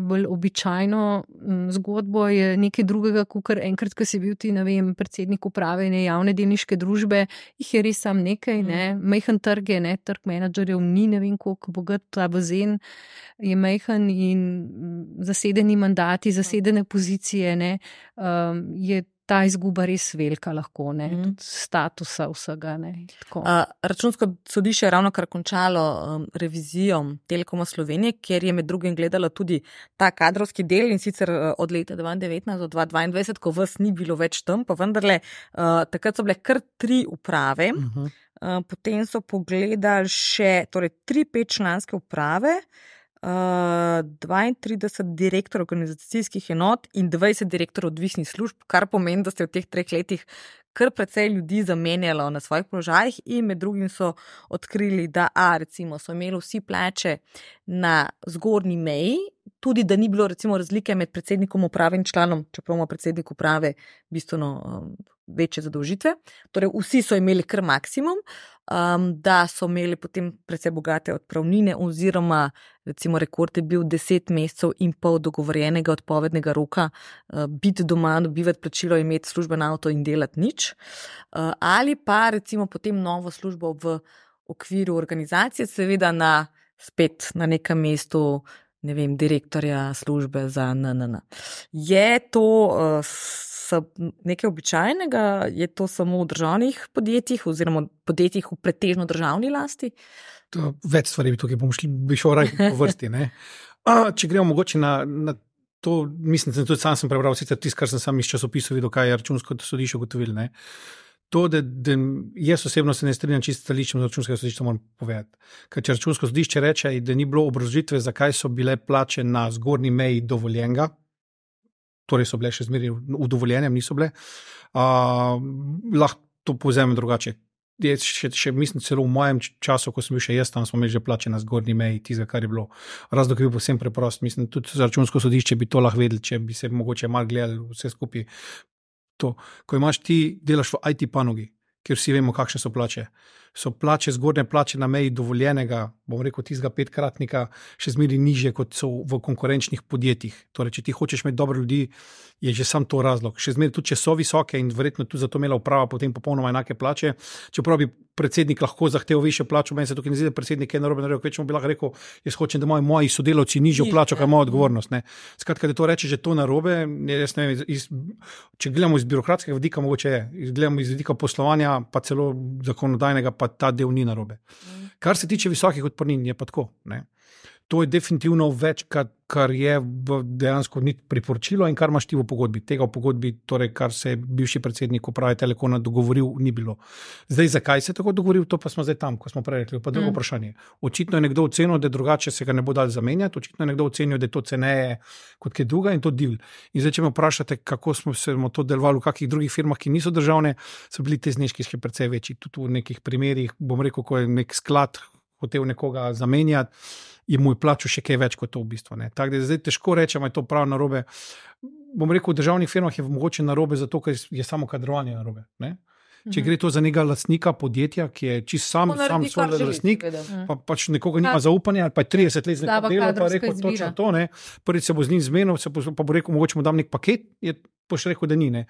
[SPEAKER 2] bolj običajno zgodbo je nekaj drugega, kot enkrat, ko si bil ti, ne vem, predsednik uprave ne javne delniške družbe, jih je res sam nekaj, ne, majhen trg je, ne, trg menedžerjev ni, ne vem, koliko bogat, ta bazen je majhen in zasedeni mandati, zasedene pozicije, ne, um, je ta izguba res velika lahko, ne,
[SPEAKER 1] Mhm.
[SPEAKER 2] tudi statusa vsega, ne, tako.
[SPEAKER 1] Uh, Računsko sodišče je ravno kar končalo um, revizijo Telekoma Slovenije, kjer je med drugim gledalo tudi ta kadrovski del in sicer uh, od leta dva tisoč devetnajst do dva tisoč dvaindvajset, ko vas ni bilo več tam, pa vendarle uh, takrat so bile kar tri uprave,
[SPEAKER 3] Uh -huh.
[SPEAKER 1] uh, potem so pogledali še torej, tri petčlanske uprave, Uh, dvaintrideset direktorjev organizacijskih enot in dvajset direktorjev odvisnih služb, kar pomeni, da ste v teh treh letih kar precej ljudi zamenjalo na svojih položajih in med drugim so odkrili, da a, recimo, so imeli vsi plače na zgornji meji, tudi da ni bilo recimo razlike med predsednikom uprave in članom, čeprav ima predsednik uprave bistveno um, večje zadolžitve. Torej, vsi so imeli kar maksimum, um, da so imeli potem precej bogate odpravnine oziroma recimo rekord je bil deset mesecev in pol dogovorjenega odpovednega roka, uh, biti doma, dobivati plačilo, imeti služben avto in delati nič. Uh, ali pa recimo potem novo službo v okviru organizacije, seveda na, spet na nekem mestu, ne vem, direktorja službe za N N N. Je to uh, nekaj običajnega, je to samo v državnih podjetjih oziroma podjetjih v pretežno državni lasti?
[SPEAKER 3] To, več stvari bi tukaj bom šli, bi šel raj po vrsti. Ne? A, če gremo mogoče na, na to, mislim, da tudi sam sem prebral, sicer tisto, kar sem sam iz časopisov videl, kaj je Računsko sodišče ugotovilo. Ne? To, da, da jaz osebno se ne strinjam čisto stališčem Računskega sodišča, moram povedati. Ker če Računsko sodišče reče, da ni bilo obrazložitve, zakaj so bile plače na zgornji meji dovoljenega, torej so bile še zmeraj v dovoljenjem, niso bile, uh, lahko to povzemem drugače. Jaz še, še mislim celo v mojem času, ko sem bil še jaz tam, smo imeli že plače na zgornji meji, tizga, kar je bilo. Razlog je bil povsem preprost. Mislim, tudi za Računsko sodišče bi to lahko vedeli, če bi se mogoče malo gledali vse skupaj. To, ko imaš ti, delaš v I T panogi, kjer vsi vemo, kakšne so plače. So plače, zgornje plače na meji dovoljenega, bom rekel, tistega petkratnika, še zmeraj nižje, kot so v konkurenčnih podjetjih. Torej, če ti hočeš imeti dobre ljudi, je že sam to razlog. Še zmeraj tudi, če so visoke in verjetno tudi zato imela uprava potem popolnoma enake plače, čeprav bi predsednik lahko zahteval višjo plačo, meni se tukaj ne zdi, da predsednik je narobe naredil, kvečemu bi lahko rekel, jaz hočem, da imajo moji sodelavci nižjo plačo, kaj moja odgovornost. Ne. Skratka, da to reče že to narobe, jaz ne vem, iz, če gledamo iz birokratskega vidika, mogoče je, gledamo iz vidika poslovanja, pa celo zakonodajnega, pa ta del ni narobe. Kar se tiče visokih odpornin, je pa tako. Ne. To je definitivno več, kar, kar je dejansko ni priporočilo in kar imaš ti v pogodbi. Tega v pogodbi, torej kar se je bivši predsednik uprave Telekoma dogovoril, ni bilo. Zdaj, zakaj se je tako dogovoril, to pa smo zdaj tam, ko smo prej rekli, pa drugo mm. vprašanje. Očitno je nekdo ocenil, da drugače se ga ne bo dal zamenjati, očitno je nekdo ocenil, da je to ceneje kot kaj druga in to divl. In zdaj, če me vprašate, kako smo se to delovali v kakih drugih firmah, ki niso državne, so bili te zneski še precej večji. Tudi v nekih primerih, bom rekel, ko je nek sklad hotel nekoga zamenjati, je moj plačo še kaj več kot to v bistvu. Ne. Tako da zdaj težko rečem, je to prav narobe. Bom rekel, v državnih firmah je mogoče narobe zato, ker je samo kadrovanje narobe. Ne. Če gre to za nekega lastnika podjetja, ki je čist sam, sam svoj lastnik, pa pač nekoga nima zaupanja, pa je trideset let z nekim delom, pa rekel izbira. Točno to, ne. Prvič se bo z njim zmenil, se bo, pa bo rekel, mogoče mu dam nek paket, je boš rekel, da ni. Ne.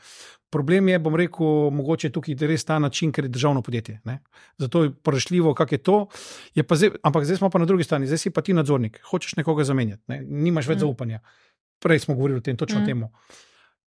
[SPEAKER 3] Problem je, bom rekel, mogoče tukaj res ta način, ker je državno podjetje. Ne. Zato je prešljivo, kak je to. Je pa zdaj, ampak zdaj smo pa na drugi strani, zdaj si pa ti nadzornik, hočeš nekoga zamenjati, ne. Nimaš več mm. zaupanja. Prej smo govorili o tem, točno mm. temu.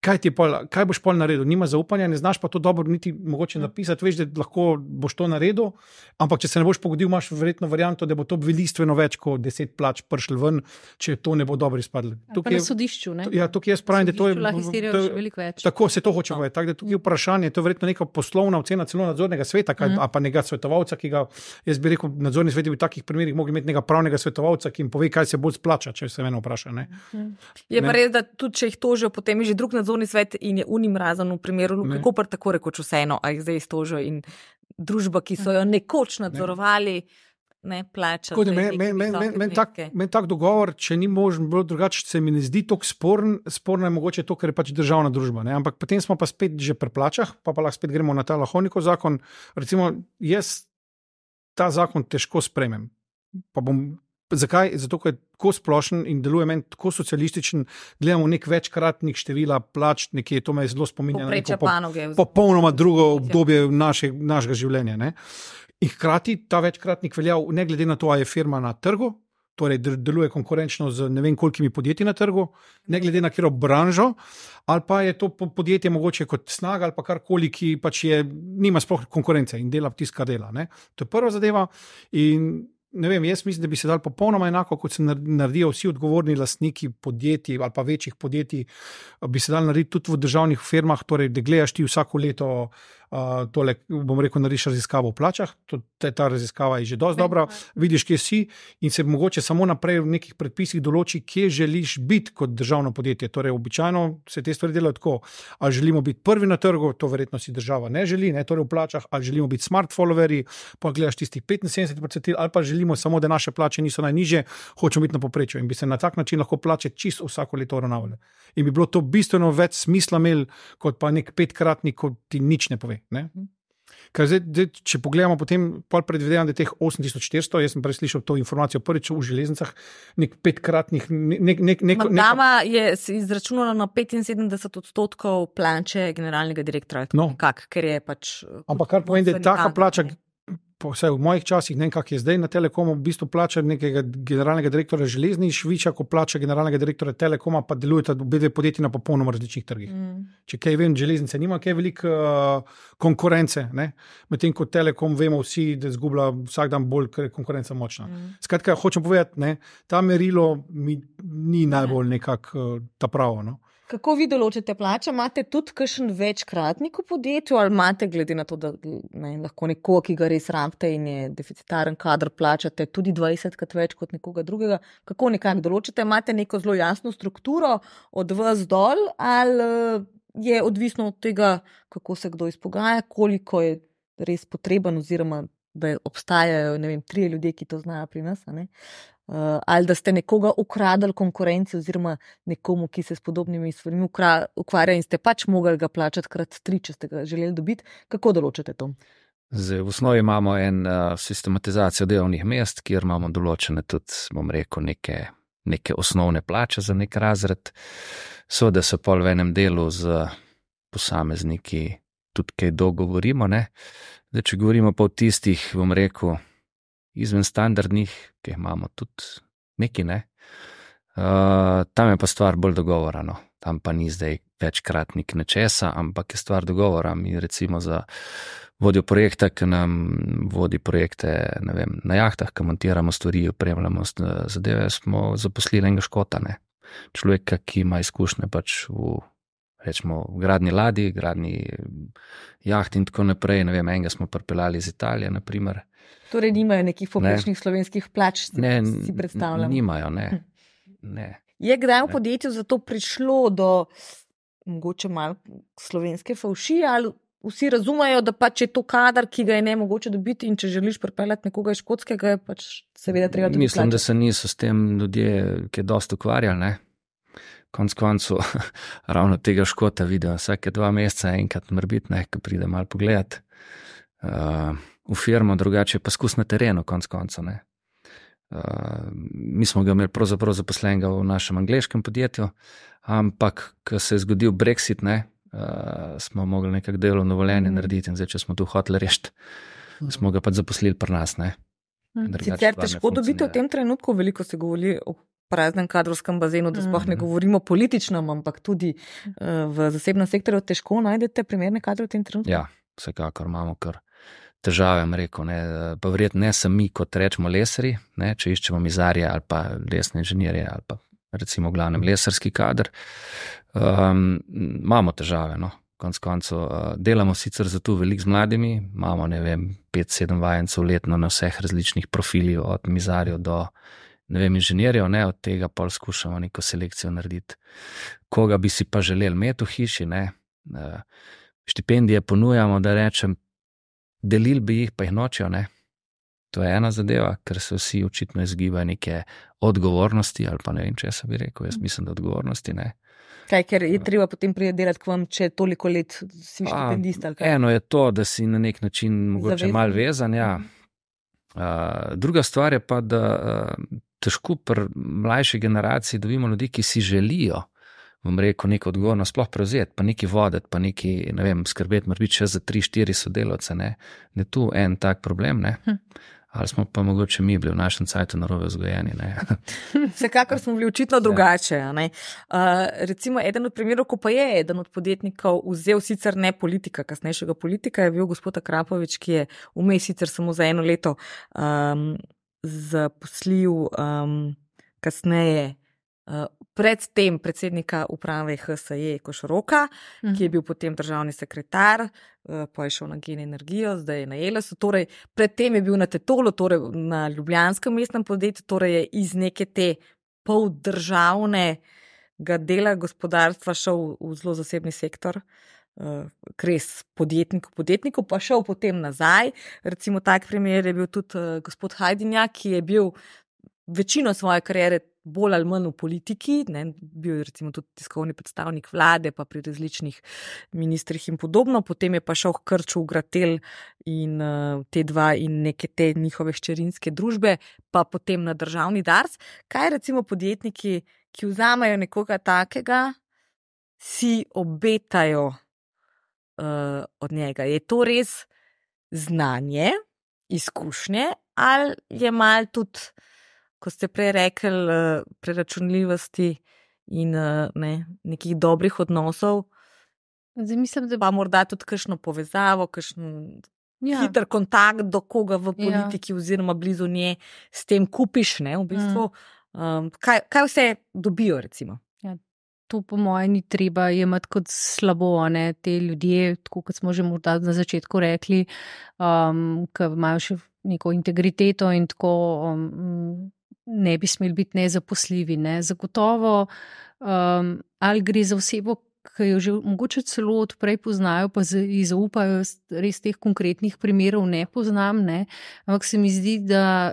[SPEAKER 3] Kaj, ti pol, kaj boš pol naredil? Nima zaupanja, ne znaš pa to dobro niti mogoče napisati, veš, da lahko boš to naredil, ampak če se ne boš pogodil, imaš verjetno varianto, da bo to velistveno več kot deset plač prišli ven, če to ne bo dobro izpadlo.
[SPEAKER 2] Pa na sodišču, ne?
[SPEAKER 3] Ja, tukaj jaz pravim, da to je...
[SPEAKER 2] lahko izterijo še veliko več.
[SPEAKER 3] Tako se to hoče povedati. Tako da tukaj je vprašanje, to je verjetno neka poslovna ocena celo nadzornega sveta, kaj, mm. a pa nekega svetovalca, ki ga, jaz bi rekel, nadzorni svet bi v takih primerih mogli imeti nekega pravnega svetovalca, ki jim pove, kaj se bolj splača, če se mene vpraša. Ne?
[SPEAKER 1] Mm. Je pa res, da tudi če jih tožijo, potem je že drug nadzorni svet in je unim razen v primeru Luke Koper tako rekoč vseeno, a jih zdaj iztožijo in družba, ki so jo nekoč nadzorovali, ne, ne plača.
[SPEAKER 3] Meni men, men, men, men tak, men tak dogovor, če ni možen, bilo drugače, se mi ne zdi tako sporen, sporno je mogoče to, ker je pač državna družba. Ne? Ampak potem smo pa spet že pri plačah, pa pa lahko spet gremo na ta Lahovnikov zakon. Recimo, jaz ta zakon težko sprejmem. Pa bom Zakaj? Zato, ker je tako splošen in deluje meni tako socialističen, gledamo nek večkratnik števila plač, nekje to me je zelo spominja na neko popolnoma drugo obdobje naše, našega življenja. Ne? In hkrati ta večkratnik velja, ne glede na to, a je firma na trgu, torej deluje konkurenčno z ne vem kolikimi podjetji na trgu, ne glede na katero branžo, ali pa je to podjetje mogoče kot Snaga ali pa karkoli, ki pač je, nima sploh konkurence in dela tisto, kar dela. Ne? To je prva zadeva in ne vem, jaz mislim, da bi se dal popolnoma enako, kot se naredijo vsi odgovorni lastniki podjetij ali pa večjih podjetij, bi se dal narediti tudi v državnih firmah, torej da gledaš ti vsako leto uh, tole, bom rekel, narediš raziskavo o plačah, to, ta raziskava je že dosti dobra, vidiš, kje si in se mogoče samo naprej v nekih predpisih določi, kje želiš biti kot državno podjetje. Torej, običajno se te stvari delajo tako, ali želimo biti prvi na trgu, to verjetno si država ne želi, ne, torej v plačah, ali želimo biti smart followerji, pa gledaš tistih petinsedemdeset procent, ali pa želimo samo, da naše plače niso najnižje, hočemo biti na povprečju in bi se na tak način lahko plače čisto vsako leto uravnavale. In bi bilo to bistveno več smisla imel, kot pa nek petkratnik, kot ti nič ne pove. Ne? Ker zdaj, zdaj, če pogledamo potem, pol predvidevam, da je teh osem tisoč štiristo, jaz sem prej slišal to informacijo prvič v železnicah, nek petkratnih, nek, nek, nek,
[SPEAKER 1] Dama je izračunala na petinsedemdeset odstotkov plače generalnega direktora,
[SPEAKER 3] no.
[SPEAKER 1] Kak, ker je pač...
[SPEAKER 3] Ampak kar pomeni, da je taka plača, vse v mojih časih, ne vem, kak je zdaj na Telekomu, v bistvu plača nekega generalnega direktora železnic višja, kot plača generalnega direktora Telekoma, pa delujeta obe dve podjetji na popolnoma različnih trgih. Mm. Če kaj vem, železnice nima kaj veliko uh, konkurence, ne? Medtem ko Telekom vemo vsi, da zgublja vsak dan bolj, ker je konkurenca močna. Mm. Skratka, hočem povedati, ne, ta merilo mi ni najbolj nekak uh, ta pravo, no.
[SPEAKER 1] Kako vi določite plače? Imate tudi kakšen večkratnik v podjetju ali imate glede na to, da ne, lahko nekoga, ki ga res rabite in je deficitaren kader, plačate tudi dvajsetkrat več kot nekoga drugega? Kako nekako določite? Imate neko zelo jasno strukturo od vas dol ali je odvisno od tega, kako se kdo izpogaja, koliko je res potreben oziroma da obstajajo, ne vem, trije ljudje, ki to znajo pri nas, a ne? Uh, ali da ste nekoga ukradali konkurenci oziroma nekomu, ki se s podobnimi stvarmi ukvarja in ste pač mogli ga plačati krat tri, če ste ga želeli dobiti. Kako določate to?
[SPEAKER 4] Zdaj, v osnovi imamo en uh, sistematizacijo delovnih mest, kjer imamo določene tudi, bom rekel, neke, neke osnovne plače za nek razred. Seveda se pol v enem delu z posamezniki tudi kaj dogovorimo, ne. Zdaj, če govorimo pa o tistih, bom rekel, izven standardnih, ki imamo tudi neki, ne. Uh, tam je pa stvar bolj dogovora, no. Tam pa ni zdaj večkratnik nečesa, ampak je stvar dogovora. Mi recimo za vodjo projekta, ki nam vodi projekte, ne vem, na jahtah, ki montiramo stvari, opremljamo zadeve, smo zaposlili enega Škota, ne. Človeka, ki ima izkušnje pač v, rečemo, v gradni ladji, gradni jaht in tako naprej, ne vem, enega smo pripeljali iz Italije, na primer.
[SPEAKER 1] Torej nimajo nekih poprečnih slovenskih plač, si,
[SPEAKER 4] ne,
[SPEAKER 1] si predstavljam.
[SPEAKER 4] Nimajo, ne. ne.
[SPEAKER 1] Je kdaj v podjetju zato prišlo do mogoče malo slovenske favšije ali vsi razumejo, da pač je to kadar, ki ga je ne mogoče dobiti in če želiš pripeljati nekoga iz Škotskega, je pač seveda treba tudi
[SPEAKER 4] Mislim,
[SPEAKER 1] plačati.
[SPEAKER 4] da se niso s tem ljudje, ki je dosti ukvarjali, ne. Konc koncu ravno tega Škota vidijo vsake dva meseca enkrat morbiti, ne, ko pride malo pogledat. Uh, v firmo, drugače pa skus na terenu, konc konca, ne. Uh, mi smo ga imeli pravzaprav zaposlenega v našem angleškem podjetju, ampak, ko se je zgodil Brexit, ne, uh, smo mogli nekak delovno dovoljenje mm. narediti in zdaj, če smo tu hoteli rešiti, mm. smo ga pa zaposlili pri nas, ne.
[SPEAKER 1] Sicer težko dobiti v tem trenutku, veliko se govori o praznem kadrovskem bazenu, da sploh ne govorimo političnem, ampak tudi uh, v zasebnem sektorju težko najdete primerne kadre v tem trenutku?
[SPEAKER 4] Ja, vsekakor imamo kar težave, rekel, ne, pa verjetno ne sami, kot rečemo lesari, ne, če iščemo mizarje ali pa lesne inženirje ali pa recimo v glavnem lesarski kader, um, imamo težave, no, konc koncev, uh, delamo sicer zato veliko z mladimi, imamo, ne vem, pet, sedem vajencev letno na vseh različnih profilih, od mizarjev do, ne vem, inženirjev, ne, od tega pol skušamo neko selekcijo narediti. Koga bi si pa želeli imeti v hiši, ne, uh, štipendije ponujamo, da rečem, delili bi jih, pa jih nočejo, ne. To je ena zadeva, ker se vsi očitno izgibajo neke odgovornosti, ali pa ne vem, če sem bi rekel, jaz mislim, da odgovornosti, ne.
[SPEAKER 1] Kaj, ker je treba potem priti delati k vam, če toliko let si štipendist ali kaj?
[SPEAKER 4] Eno je to, da si na nek način mogoče Zavezan. Malo vezan, ja. Uh, druga stvar je pa, da uh, težko pri mlajši generaciji dobimo ljudi, ki si želijo, bom rekel, neko odgovornost sploh prevzeti, pa neki voditi, pa neki, ne vem, skrbeti, mora biti še za tri, štiri sodelavce, ne. Ne tu en tak problem, ne. Hm. Ali smo pa mogoče mi bili v našem cajtu narobe vzgojeni.
[SPEAKER 1] Vsekakor smo bili očitno drugače. Uh, recimo, eden od primerov, ko pa je eden od podjetnikov vzel sicer ne politika, kasnejšega politika, je bil gospod Akrapovič, ki je vmes sicer samo za eno leto um, zaposlil um, kasneje uh, predtem predsednika uprave H S E Košoroka, mm. ki je bil potem državni sekretar, uh, pa je šel na Gen Energijo, zdaj je na Elesu, torej predtem je bil na Tetolu, torej na ljubljanskem mestnem podjetju, torej je iz neke te poldržavnega dela gospodarstva šel v zelo zasebni sektor, uh, res podjetnik, podjetniku, pa šel potem nazaj. Recimo tak primer je bil tudi uh, gospod Hajdinjak, ki je bil večino svoje kariere bolj ali manj v politiki, ne, bil je recimo tudi tiskovni predstavnik vlade, pa pri različnih ministrih in podobno, potem je pa šel k Krču v Gratel in uh, te dva in neke te njihove hčerinske družbe, pa potem na državni Dars. Kaj recimo podjetniki, ki vzamejo nekoga takega, si obetajo uh, od njega? Je to res znanje, izkušnje ali je mal tudi, ko ste prej rekli, preračunljivosti in ne, nekih dobrih odnosov,
[SPEAKER 2] Zdaj, mislim, da
[SPEAKER 1] pa morda tudi kakšno povezavo, kakšen
[SPEAKER 2] ja.
[SPEAKER 1] hiter kontakt do koga v politiki ja. oziroma blizu nje s tem kupiš, ne, v bistvu. Mm. Um, kaj, kaj vse dobijo, recimo?
[SPEAKER 2] Ja, to po mojem ni treba jemati kot slabo, ne, te ljudje, tako kot smo že morda na začetku rekli, um, ki imajo še neko integriteto in tako um, ne bi smeli biti nezaposljivi. Ne. Zagotovo, um, ali gre za osebo, ki jo že mogoče celo odprej poznajo, pa ji zaupajo, res teh konkretnih primerov ne poznam, ne. Ampak se mi zdi, da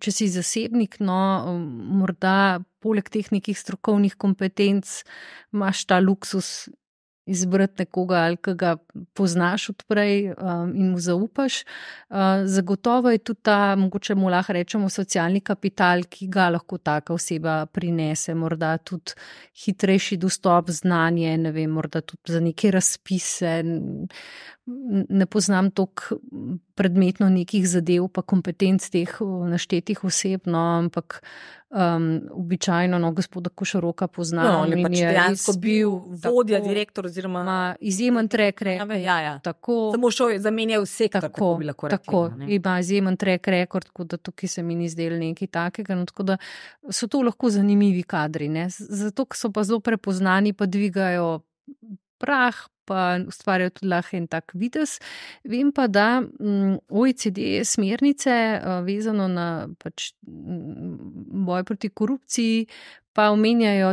[SPEAKER 2] če si zasebnik, no, morda poleg teh nekih strokovnih kompetenc imaš ta luksus izbrati nekoga, ali ki ga poznaš odprej um, in mu zaupaš. Uh, zagotovo je tudi ta, mogoče mu lahko rečemo, socialni kapital, ki ga lahko taka oseba prinese, morda tudi hitrejši dostop, znanje, ne vem, morda tudi za neke razpise. Ne poznam toliko predmetno nekih zadev pa kompetenc teh naštetih oseb, no, ampak um, običajno no, gospoda Košoroka poznam.
[SPEAKER 1] No, on je pač dejansko bil vodja,
[SPEAKER 2] tako,
[SPEAKER 1] direktor oziroma
[SPEAKER 2] ima izjemen track record.
[SPEAKER 1] Ja, ja.
[SPEAKER 2] Tako,
[SPEAKER 1] samo šel je zamenjal sektor,
[SPEAKER 2] tako,
[SPEAKER 1] tako bi lahko rekli.
[SPEAKER 2] Tako, ima izjemen track record, tako da tukaj se mi ni zdelo nekaj takega. No, tako da so to lahko zanimivi kadri. Ne? Zato, ker so pa zelo prepoznani, pa dvigajo prah, pa ustvarjajo tudi lahko en tak videz. Vem pa, da O E C D smernice vezano na pač boj proti korupciji pa omenjajo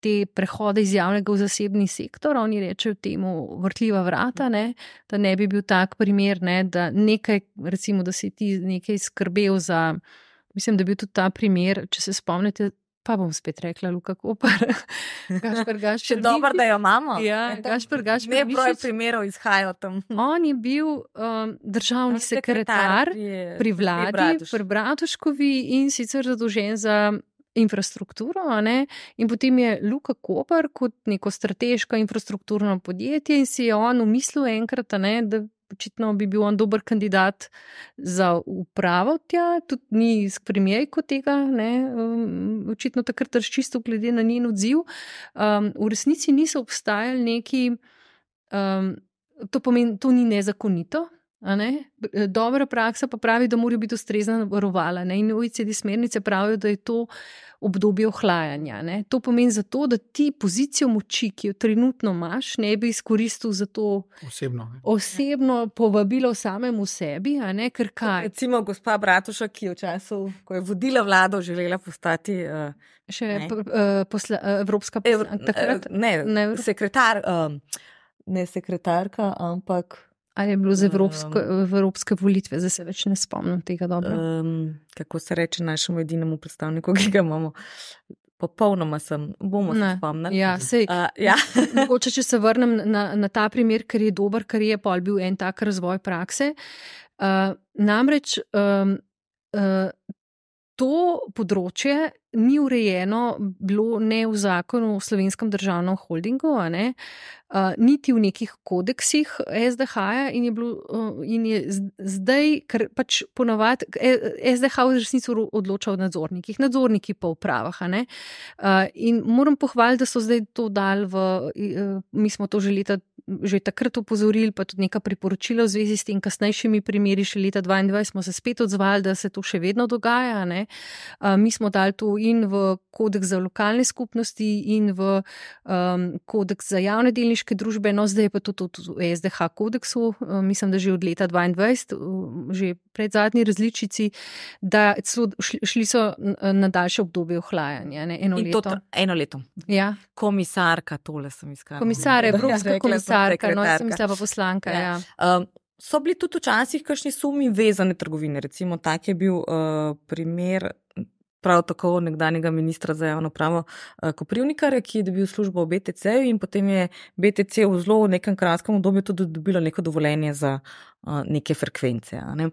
[SPEAKER 2] te prehode iz javnega v zasebni sektor. Oni rečejo temu vrtljiva vrata, ne? Da ne bi bil tak primer, ne? Da nekaj, recimo, da si ti nekaj skrbel za, mislim, da bi bil tudi ta primer, če se spomnite, pa bom spet rekla Luka Koper. Gašper, Gašper.
[SPEAKER 1] Še dobro, da jo imamo.
[SPEAKER 2] Ja, Gašper, Gašper.
[SPEAKER 1] Ne broj primerov izhajajo tam.
[SPEAKER 2] On je bil um, državni sekretar, sekretar pri, pri vladi, pri Bratuškovi in sicer zadolžen za infrastrukturo, ne? In potem je Luka Koper kot neko strateško infrastrukturno podjetje in si je on umislil enkrat, ne, da očitno bi bil on dober kandidat za upravo tja, tudi ni s premijejko tega, ne, um, očitno takrat razčistil glede na njen odziv. Um, v resnici niso obstajali neki, um, to pomeni, to ni nezakonito, a ne? Dobra praksa pa pravi, da morajo biti ustrezna varovala, ne, in O E C D smernice pravijo, da je to obdobje ohlajanja, ne. To pomeni zato, da ti pozicijo moči, ki jo trenutno imaš, ne bi izkoristil za to
[SPEAKER 3] osebno,
[SPEAKER 2] osebno povabilo samemu sebi, a ne, ker kaj.
[SPEAKER 1] Recimo gospa Bratušek, ki je v času, ko je vodila vlado, želela postati uh,
[SPEAKER 2] še p, uh, posla, uh, evropska poslanka, takrat?
[SPEAKER 1] Ne, ne, sekretar, um, ne sekretarka, ampak
[SPEAKER 2] ali je bilo za evropsko, evropske volitve, zdaj se več ne spomnim tega dobro.
[SPEAKER 1] Um, kako se reče našemu edinemu predstavniku, ki ga imamo? Popolnoma sem, bomo se spomnili.
[SPEAKER 2] Ja, sej,
[SPEAKER 1] uh, ja.
[SPEAKER 2] Mogoče, če se vrnem na, na ta primer, ker je dober, ker je pol bil en tak razvoj prakse. Uh, namreč um, uh, to področje ni urejeno bilo ne v zakonu o Slovenskem državnem holdingu, a ne, uh, niti v nekih kodeksih S D H-ja in je bilo, uh, in je zdaj, ker pač ponavadi S D H v resnici odloča o nadzornikih, nadzorniki pa v upravah, a ne. Uh, in moram pohvaliti, da so zdaj to dali v, uh, mi smo to že leta, že takrat upozorili, pa tudi neka priporočila v zvezi s tem kasnejšimi primeri, še leta dvaindvajset smo se spet odzvali, da se to še vedno dogaja, ne. Uh, mi smo dali to in v kodeks za lokalne skupnosti in v um, kodeks za javne delniške družbe, no zdaj je pa to tudi v S D H kodeksu, uh, mislim, da že od leta dvaindvajset, uh, že pred zadnji različici, da celo šli, šli so na daljše obdobje ohlajanja, ne, eno
[SPEAKER 1] in
[SPEAKER 2] leto.
[SPEAKER 1] To, eno leto.
[SPEAKER 2] Ja.
[SPEAKER 1] Komisarka, tole sem iskala.
[SPEAKER 2] Komisar, evropska
[SPEAKER 1] Ja,
[SPEAKER 2] komisarka, no, sem mislila pa poslanka, ja.
[SPEAKER 1] ja. Um, so bili tudi včasih kakšni sumi vezane trgovine, recimo tak je bil uh, primer prav tako nekdanjega ministra za javno pravo uh, Koprivnikarja, ki je dobil službo v B T C-ju in potem je B T C v zelo nekem kratkem obdobju tudi dobilo neko dovoljenje za uh, neke frekvence. Ne?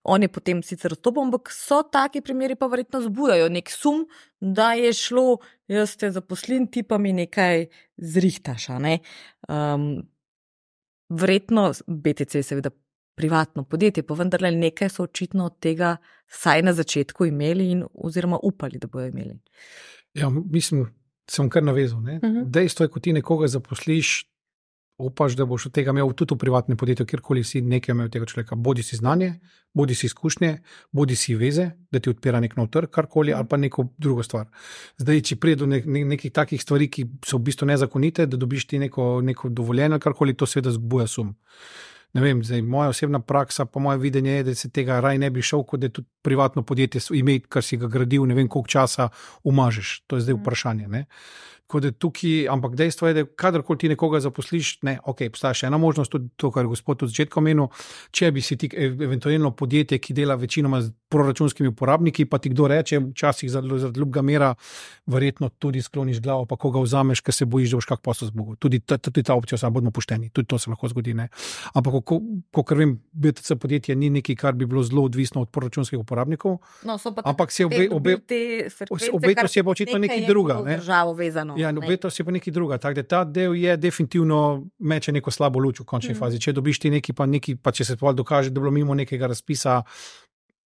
[SPEAKER 1] On je potem sicer odstopil, ampak so taki primeri pa verjetno zbujajo nek sum, da je šlo, jaz te zaposlim, ti pa mi nekaj zrihtaš. Ne? Um, verjetno B T C je seveda privatno podjetje, pa vendarle nekaj so očitno od tega saj na začetku imeli in oziroma upali, da bojo imeli.
[SPEAKER 3] Ja, mislim, sem kar navezal. Ne? Uh-huh. Dejstvo je, ko ti nekoga zaposliš, upaš, da boš od tega imel tudi v privatnem podjetju, kjerkoli si nekaj imel tega človeka. Bodi si znanje, bodi si izkušnje, bodi si veze, da ti odpira nek nov trg, karkoli, ali pa neko drugo stvar. Zdaj, če pride do ne, ne, nekih takih stvari, ki so v bistvu nezakonite, da dobiš ti neko, neko dovoljenje, karkoli, to seveda zbuja sum. Ne vem, zdaj, moja osebna praksa, pa moje videnje je, da se tega raj ne bi šel, kot da je tudi privatno podjetje ime, kar si ga gradil, ne vem, koliko časa umažeš. To je zdaj vprašanje. Ne? Tako da tukaj, ampak dejstvo je, da kadarkoli ti nekoga zaposliš, ne, ok, obstaja še ena možnost, tudi to, kar je gospod od začetka omenil, če bi si ti eventualno podjetje, ki dela večinoma z proračunskimi uporabniki, pa ti kdo reče, včasih za ljubega mera, verjetno tudi skloniš glavo, pa koga vzameš, ker se bojiš, da boš kak posel zbogel. Tudi ta, tudi ta opcija, samo bodimo pošteni, tudi to se lahko zgodi. Ne? Ampak, ko, ko kar vem, B T C podjetje ni nekaj, kar bi bilo zelo odvisno od proračunskih uporabnikov,
[SPEAKER 1] no,
[SPEAKER 3] ampak se obe, obe, obeto si je pa očitno nekaj druga. Ne? Ja, obeto si pa nekaj druga. Tako da ta del je definitivno meče neko slabo luč v končni mm. fazi. Če dobiš ti neki, pa neki, pa če se to dokaže, da je bilo mimo nekega razpisa,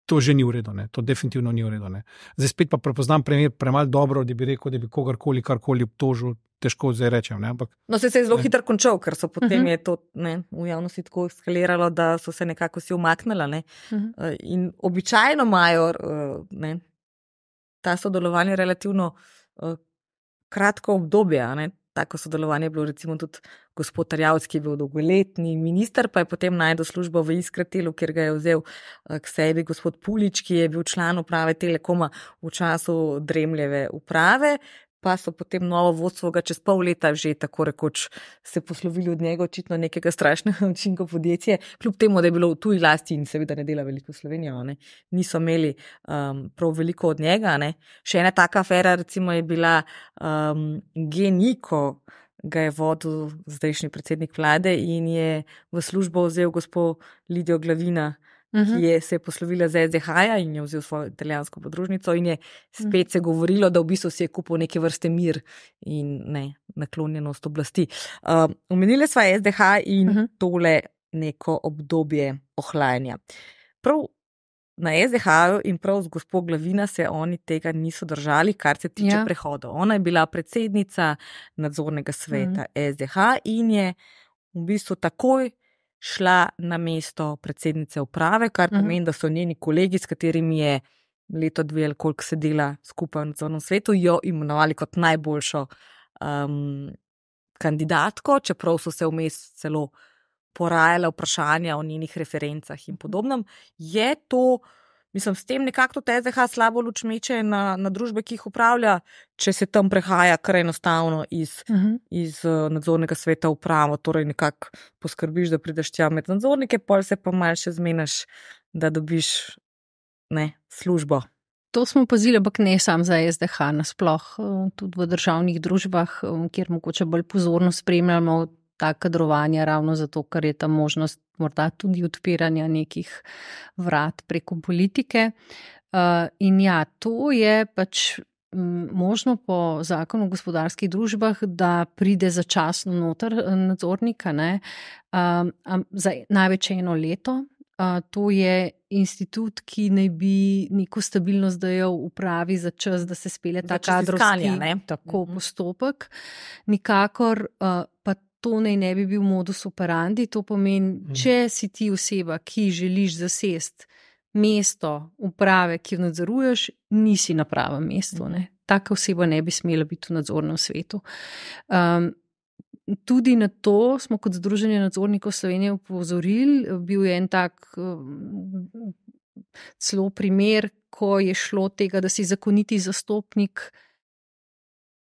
[SPEAKER 3] to že ni v redu, ne. To definitivno ni v redu, ne. Zdaj spet pa prepoznam primer premalo dobro, da bi rekel, da bi kogarkoli, karkoli obtožil, težko zdaj rečem, ne, ampak.
[SPEAKER 1] No, se je zelo hitro končal, ker so potem uh-huh. je to, ne, v javnosti tako eskaliralo, da so se nekako si umaknila, ne. Uh-huh. In običajno imajo, ne, ta sodelovanje relativno uh, kratko obdobje, ne. Tako sodelovanje je bilo recimo tudi gospod Tarjavc, ki je bil dolgoletni minister, pa je potem najdel službo v Iskratilu, kjer ga je vzel k sebi gospod Pulič, ki je bil član uprave Telekoma v času Dremljeve uprave, pa so potem novo vodstvo ga čez pol leta že tako rekoč se poslovili od njega, očitno nekega strašnega učinka podjetje, kljub temu, da je bilo v tuji lasti in seveda ne dela veliko Slovenijo, ne, niso imeli um, prav veliko od njega. Ne. Še ena taka afera recimo je bila um, G N I, ko ga je vodil zdajšnji predsednik vlade in je v službo vzel gospod Lidijo Glavina, ki je se poslovila z S D H-ja in je vzel svojo italijansko podružnico in je spet se govorilo, da v bistvu si je kupil neke vrste mir in ne, naklonjenost oblasti. Um, omenili sva S D H in uh-huh. tole neko obdobje ohlajanja. Prav na S D H-ju in prav z gospod Glavina se oni tega niso držali, kar se tiče ja. prehodov. Ona je bila predsednica nadzornega sveta uh-huh. S D H in je v bistvu takoj šla na mesto predsednice uprave, kar pomeni, da so njeni kolegi, s katerimi je leto dve ali koliko sedela skupaj v nadzornem svetu, jo imenovali kot najboljšo um, kandidatko, čeprav so se vmes celo porajale vprašanja o njenih referencah in podobnem. Je to, mislim, s tem nekako T Z H slabo luč meče na, na družbe, ki jih upravlja, če se tam prehaja kar enostavno iz, uh-huh. iz uh, nadzornega sveta v upravo, torej nekako poskrbiš, da prideš tja med nadzornike, pol se pa malo še zmenaš, da dobiš ne, službo.
[SPEAKER 2] To smo opazili, ampak ne sam za S D H, nasploh tudi v državnih družbah, kjer mogoče bolj pozorno spremljamo ta kadrovanja, ravno zato, ker je ta možnost morda tudi odpiranja nekih vrat preko politike. Uh, in ja, to je pač možno po zakonu o gospodarskih družbah, da pride začasno noter nadzornika, ne, um, um, za največ eno leto. Uh, to je institut, ki naj bi neko stabilnost dajal upravi za čas, da se spelje ta kadrovski tako postopek. Nikakor uh, pa to naj ne bi bil modus operandi. To pomeni, mm. če si ti oseba, ki želiš zasest mesto uprave, ki jo nadzoruješ, nisi na pravem mestu. Ne? Taka oseba ne bi smela biti v nadzornem svetu. Um, tudi na to smo kot Združenje nadzornikov Slovenije upozorili. Bil je en tak um, celo primer, ko je šlo tega, da si zakoniti zastopnik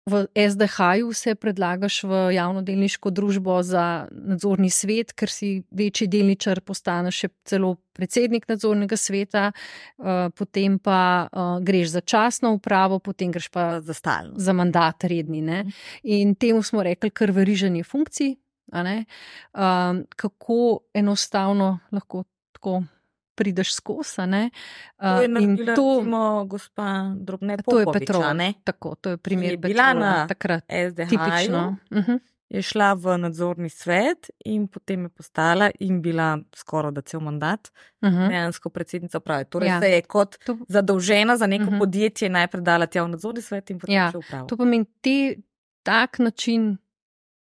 [SPEAKER 2] v es de ha-ju se predlagaš v javnodelniško družbo za nadzorni svet, ker si večji delničar, postaneš še celo predsednik nadzornega sveta, potem pa greš za časno upravo, potem greš pa
[SPEAKER 1] za stalno,
[SPEAKER 2] za mandat redni. Ne? In temu smo rekli kar veriženje funkcij, a ne? Kako enostavno lahko tako prideš skozi, ne?
[SPEAKER 1] To je naredila, to, recimo, gospa Drobne Popovič,
[SPEAKER 2] to je Petrova,
[SPEAKER 1] ne?
[SPEAKER 2] Tako, to je primer
[SPEAKER 1] je bila
[SPEAKER 2] Petrova,
[SPEAKER 1] na
[SPEAKER 2] takrat,
[SPEAKER 1] es de ha-ju,
[SPEAKER 2] tipično. Uh-huh.
[SPEAKER 1] Je šla v nadzorni svet in potem je postala in bila skoraj da cel mandat uh-huh. dejansko predsednica uprave. Torej ja. se je kot to... zadolžena za neko uh-huh. podjetje najprej dala tja v nadzorni svet in potem
[SPEAKER 2] ja.
[SPEAKER 1] še upravo.
[SPEAKER 2] To pomeni, te, tak način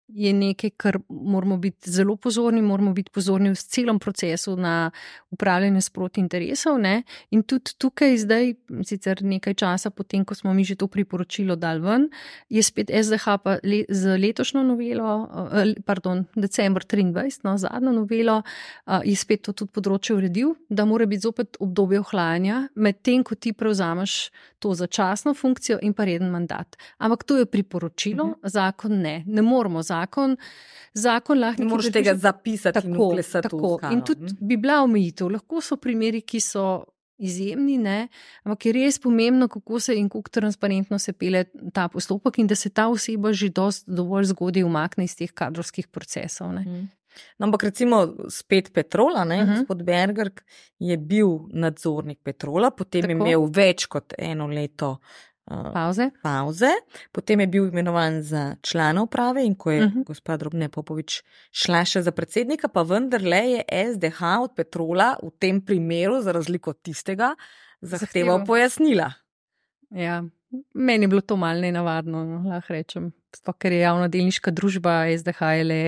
[SPEAKER 2] je nekaj, kar moramo biti zelo pozorni, moramo biti pozorni v celem procesu na upravljanje sproti interesov, ne? In tudi tukaj zdaj, sicer nekaj časa potem, ko smo mi že to priporočilo dali ven, je spet es de ha pa le, z letošnjo novelo, pardon, december triindvajset, no, zadnjo novelo, je spet to tudi področje uredil, da mora biti zopet obdobje ohlajanja, med tem, ko ti prevzameš to začasno funkcijo in pa reden mandat. Ampak to je priporočilo, uh-huh. zakon ne. Ne moramo zakon, zakon lahko...
[SPEAKER 1] Ne moraš tega zapisati
[SPEAKER 2] tako,
[SPEAKER 1] in uklesati
[SPEAKER 2] tako.
[SPEAKER 1] v skalo.
[SPEAKER 2] In tudi bi bila omejitev. Lahko so primeri, ki so izjemni, ne? Ampak je res pomembno, kako se in kako transparentno se pele ta postopek in da se ta oseba že dost dovolj zgodaj umakne iz teh kadrovskih procesov. Ne?
[SPEAKER 1] Hmm. No, ampak recimo spet Petrola, ne, uh-huh. gospod Bergerk je bil nadzornik Petrola, potem tako. Je imel več kot eno leto uh,
[SPEAKER 2] pauze.
[SPEAKER 1] pauze, potem je bil imenovan za člana uprave in ko je uh-huh. gospa Drobne Popovič šla še za predsednika, pa vendarle je es de ha od Petrola v tem primeru, za razliko od tistega, zahteval pojasnila.
[SPEAKER 2] Ja, meni je bilo to malo nenavadno, no, lahko rečem. Sploh, ker je javna delniška družba, es de ha je le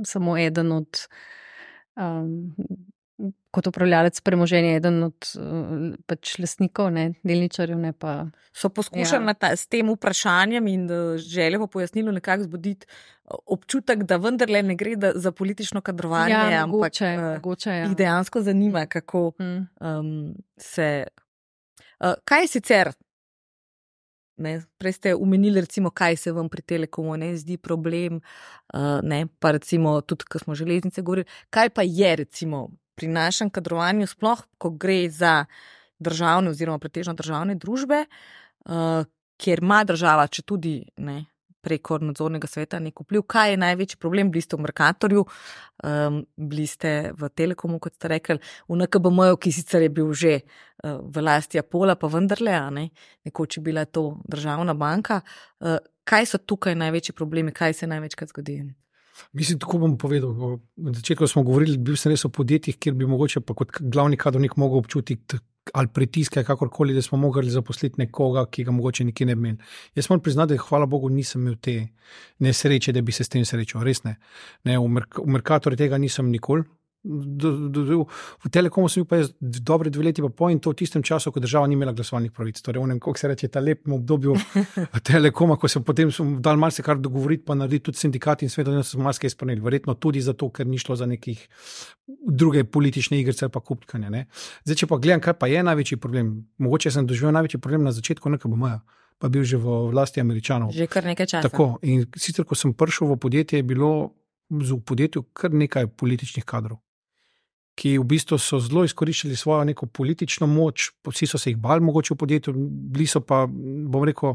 [SPEAKER 2] samo eden od, um, kot upravljalec premoženja, eden od uh, pač lastnikov, ne, delničarjev, ne pa.
[SPEAKER 1] So poskušali ja. s tem vprašanjem in željo po pojasnilu nekako zbuditi občutek, da vendarle ne gre da, za politično kadrovanje,
[SPEAKER 2] ja,
[SPEAKER 1] ampak
[SPEAKER 2] mogoče, mogoče, ja.
[SPEAKER 1] jih dejansko zanima, kako hmm. um, se. Uh, kaj je sicer? Ne, prej ste umenili, recimo, kaj se vam pri Telekomu ne zdi problem, uh, ne, pa recimo tudi, ko smo železnice govorili, kaj pa je recimo pri našem kadrovanju sploh, ko gre za državne oziroma pretežno državne družbe, uh, kjer ima država, če tudi ne, preko nadzornega sveta nek vpliv, kaj je največji problem, bili ste v Mercatorju, um, bili ste v Telekomu, kot ste rekli, v en ka be em-ju, ki sicer je bil že uh, v lasti Apola, pa vendarle, a ne, nekoč je bila to državna banka. Uh, kaj so tukaj največji problemi, kaj se največkrat zgodi?
[SPEAKER 3] Mislim, tako bom povedal. Na začetku smo govorili, bil sem res o podjetjih, kjer bi mogoče pa kot glavni kadrovnik mogel občutiti ali pritiske, kakorkoli, da smo mogli zaposliti nekoga, ki ga mogoče nikjer ne bi imeli. Jaz moram priznati, da hvala Bogu nisem imel te nesreče, da bi se s tem srečal. Res ne. ne v, Merk- v Mercatorju tega nisem nikoli. Do, do, do, v Telekomu sem bil pa jaz dobre dve leti pa po in to v tistem času, ko država ni imela glasovalnih pravic. Torej, v nem, kako se reče, ta lepem obdobju Telekoma, ko se potem dal malce kar dogovoriti, pa narediti tudi sindikati in svetovno so malce izpolnili. Verjetno tudi zato, ker ni šlo za nekih druge politične igrice ali pa kupkanje. Ne? Zdaj, če pa gledam, kaj pa je največji problem, mogoče sem doživel največji problem na začetku en ka be em-ja, pa bil že v vlasti Američanov.
[SPEAKER 1] Že kar nekaj časa.
[SPEAKER 3] Tako, in sicer, ko sem prišel v podjetje, je bilo v podjetju kar nekaj političnih kadrov. ki v bistvu so zelo izkoriščali svojo neko politično moč, vsi so se jih bali mogoče v podjetju, bili so pa, bom rekel,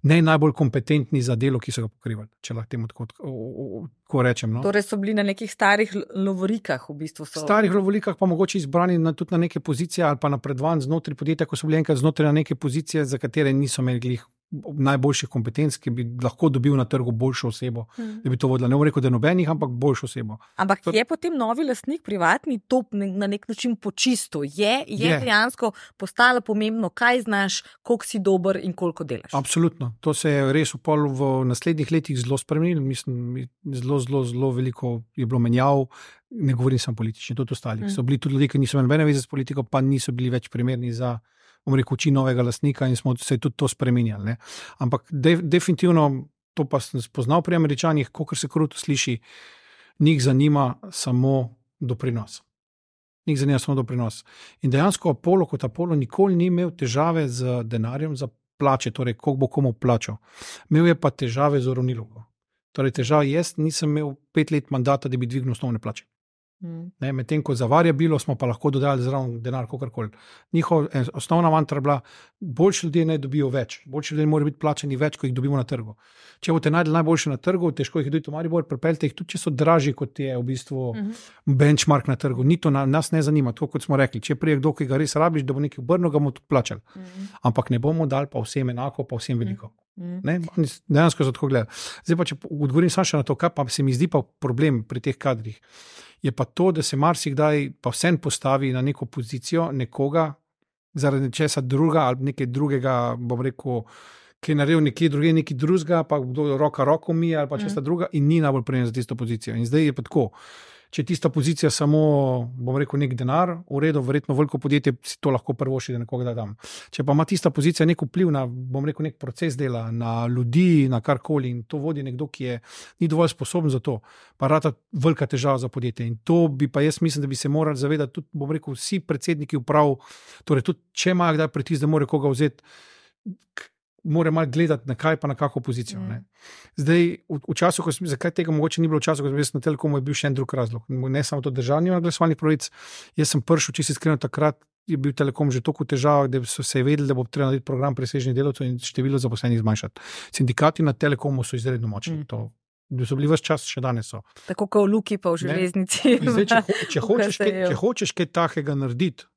[SPEAKER 3] ne najbolj kompetentni za delo, ki so ga pokrivali, če lahko temu tako, tako rečem. No.
[SPEAKER 1] Torej so bili na nekih starih lovorikah v bistvu. So...
[SPEAKER 3] Starih lovorikah pa mogoče izbrani na, tudi na neke pozicije ali pa napredvan znotraj podjetja, ko so bili enkrat znotraj na neke pozicije, za katere niso imeli najboljših kompetenc, ki bi lahko dobil na trgu boljšo osebo, hmm. da bi to vodila. Ne bom rekel, da nobenih, ampak boljšo osebo.
[SPEAKER 1] Ampak to... je potem novi lastnik privatni to na nek način počisto? Je, je, je. dejansko postalo pomembno, kaj znaš, koliko si dober in koliko delaš?
[SPEAKER 3] Absolutno. To se je res v, pol, v naslednjih letih zelo spremenilo. Mislim, zelo, zelo, zelo veliko je bilo menjav. Ne govorim samo politični, tudi ostali. Hmm. So bili tudi ljudje, ki niso imeli nobene veze s politiko, pa niso bili več primerni za rekel, oči novega lastnika in smo se tudi to spremenjali. Ne. Ampak de, definitivno, to pa sem spoznal pri Američanih, kakor se kruto sliši, njih zanima samo doprinos. Njih zanima samo doprinos. In dejansko Apollo kot Apollo nikoli ni imel težave z denarjem za plače, torej koliko bo komu plačal. Imel je pa težave z uravnilovko. Torej težave, jaz nisem imel pet let mandata, da bi dvignil osnovne plače. Hmm. Medtem ko za variabilo smo pa lahko dodali zraven denar, kakorkoli. Njihov osnovna mantra je bila, boljši ljudje ne dobijo več, boljši ljudje morajo biti plačani več, ko jih dobimo na trgu. Če boste najdli najboljše na trgu, težko jih dobiti v Maribor, prepeljte jih tudi, če so dražji, kot je v bistvu hmm. benchmark na trgu. Ni to na, nas ne zanima, tako kot smo rekli, če prije kdo, ki ga res rabiš, da bo nekaj obrnil, ga bomo tudi plačali. Hmm. Ampak ne bomo dali pa vsem enako, pa vsem veliko. Hmm. Ne, dejansko so tako gledali. Zdaj pa, če odgovorim samo še na to, kaj pa se mi zdi pa problem pri teh kadrih, je pa to, da se marsikdaj pa vsem postavi na neko pozicijo nekoga zaradi česa druga ali nekaj drugega, bom rekel, ki je naredil nekje druge, nekaj drugega, pa kdo roka roko mi ali pa česa mm. druga in ni najbolj prijem za tisto pozicijo. In zdaj je pa tako, če tista pozicija samo, bom rekel, nek denar, v redu, verjetno veliko podjetje si to lahko prvoši, da nekoga da dam. Če pa ima tista pozicija nek vpliv na, bom rekel, nek proces dela, na ljudi, na karkoli in to vodi nekdo, ki je ni dovolj sposoben za to, pa rata velika težava za podjetje. In to bi pa jaz mislim, da bi se morali zavedati tudi, bom rekel, vsi predsedniki uprav, torej tudi, če imajo kdaj pritisk, da more koga vzeti, mora malo gledati na kaj pa na kako pozicijo. Ne. Zdaj, v, v času, ko sem, zakaj tega mogoče ni bilo v času, ko sem bil na Telekomu, je bil še en drug razlog. Ne samo to držanje glasovalnih pravic, jaz sem pršel, če si iskreno takrat, je bil Telekom že toliko težav, da so se vedeli, da bo treba narediti program presežnih delavcev in število zaposlenih zmanjšati. Sindikati na Telekomu so izredno močni. Mm. To so bili ves čas, še danes so.
[SPEAKER 1] Tako kot v Luki pa v železnici.
[SPEAKER 3] Zdaj, če, ho, če, hočeš kaj, če hočeš kaj takega narediti,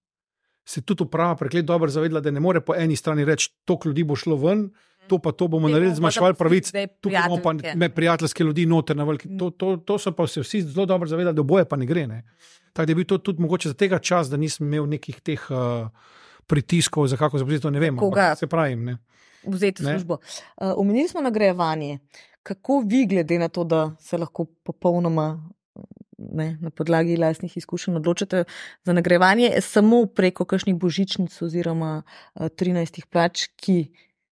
[SPEAKER 3] se tudi uprava preklet dobro zavedla, da ne more po eni strani reči, toliko ljudi bo šlo ven, to pa to bomo naredili, zmanjševali pravic, tukaj bomo pa me prijateljske ljudi noter na veliki. To, to, to so pa se vsi zelo dobro zavedali, da boje pa ne gre. Ne. Tako da je bil to tudi mogoče za tega čas, da nisem imel nekih teh uh, pritiskov, za kako zapoziti, to ne vem. Koga se pravim, ne.
[SPEAKER 1] Vzeti službo. Uh, omenili smo nagrajevanje. Kako vi glede na to, da se lahko popolnoma Ne, na podlagi lastnih izkušenj odločate za nagrajevanje samo preko kakšnih božičnic oziroma trinajstih plač, ki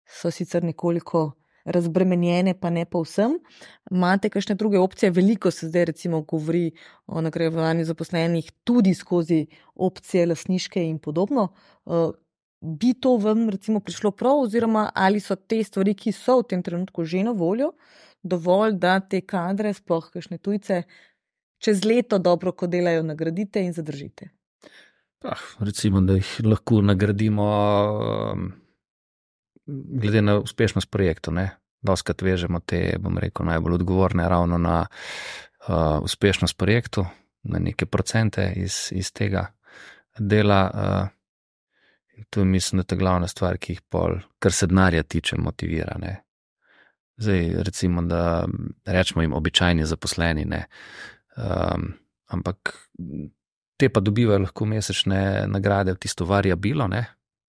[SPEAKER 1] so sicer nekoliko razbremenjene, pa ne povsem. Imate kakšne druge opcije? Veliko se zdaj recimo govori o nagrajevanju zaposlenih tudi skozi opcije lastniške in podobno. Bi to vam recimo prišlo prav oziroma ali so te stvari, ki so v tem trenutku že na voljo, dovolj, da te kadre, sploh kakšne tujce, čez leto dobro, ko delajo, nagradite in zadržite?
[SPEAKER 4] Ah, recimo, da jih lahko nagradimo um, glede na uspešnost projektu. Doskrat vežemo te, bom rekel, najbolj odgovorne ravno na uh, uspešnost projektu, na neke procente iz, iz tega dela. Uh, to je, mislim, da je ta glavna stvar, ki jih pol, kar se denarja tiče, motivira. Ne? Zdaj, recimo, da rečemo jim običajni zaposleni, ne. Um, ampak te pa dobivajo lahko mesečne nagrade v tisto variabilo, ne,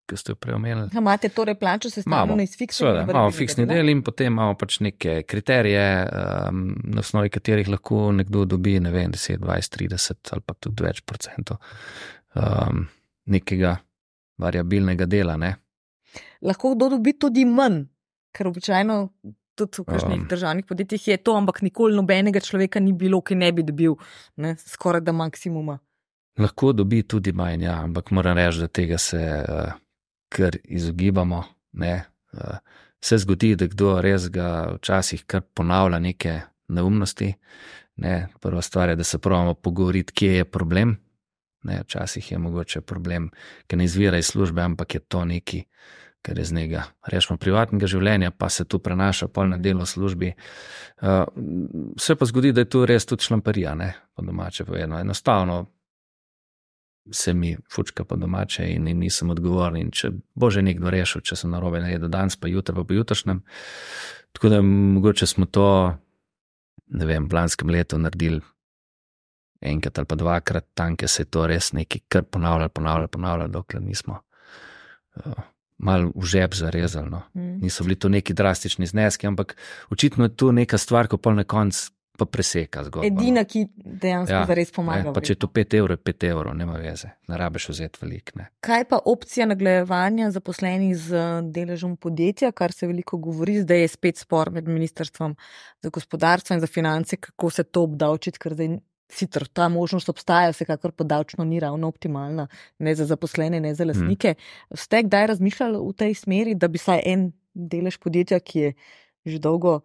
[SPEAKER 4] ki ste jo prej omenili.
[SPEAKER 1] Imate torej plačo sestavljeno iz fiksnega?
[SPEAKER 4] Imamo fiksni del in potem imamo pač neke kriterije, um, na osnovi katerih lahko nekdo dobi, ne vem, deset, dvajset, trideset ali pa tudi več procentov um, nekega variabilnega dela. Ne.
[SPEAKER 1] Lahko kdo dobi tudi manj, ker običajno tudi v kakšnih um, državnih podjetjih je to, ampak nikoli nobenega človeka ni bilo, ki ne bi dobil ne, skoraj da maksimuma.
[SPEAKER 4] Lahko dobi tudi manj, ja, ampak moram reči, da tega se uh, kar izogibamo. Ne. Uh, se zgodi, da kdo res ga včasih kar ponavlja neke neumnosti. Ne. Prva stvar je, da se pravimo pogovoriti, kje je problem, Ne, včasih je mogoče problem, ki ne izvira iz službe, ampak je to neki, kar je z njega, rečemo, privatnega življenja, pa se tu prenaša pol na delo v službi. Uh, se pa zgodi, da je tu res tudi šlamparija, ne, po domače povedano. Enostavno se mi fučka po domače in, in nisem odgovoren. In če bo že nekdo rešil, če sem narobe naredil danes, pa jutri, pa po jutrišnjem. Tako da mogoče smo to, ne vem, v lanskem letu naredili enkrat ali pa dvakrat, tanke se je to res nekaj kar ponavljalo, ponavljalo, ponavljalo, dokler nismo uh, malo v žep zarezali. No. Mm. Niso bili to neki drastični zneski, ampak očitno je tu neka stvar, ko pol na konc pa preseka zgodba.
[SPEAKER 1] Edina, ki dejansko ja, zares pomaga.
[SPEAKER 4] Ne, pa če je to pet evrov, je pet evrov, nema veze. Ne rabeš vzeti velik. Ne.
[SPEAKER 1] Kaj pa opcija nagrajevanja zaposlenih z deležem podjetja, kar se veliko govori, zdaj je spet spor med ministrstvom za gospodarstvo in za finance, kako se to obdavčiti, ker zdaj sicer ta možnost obstaja, vsekakor pa davčno ni ravno optimalna, ne za zaposlene, ne za lastnike. Hmm. Ste kdaj razmišljali v tej smeri, da bi saj en delež podjetja, ki je že dolgo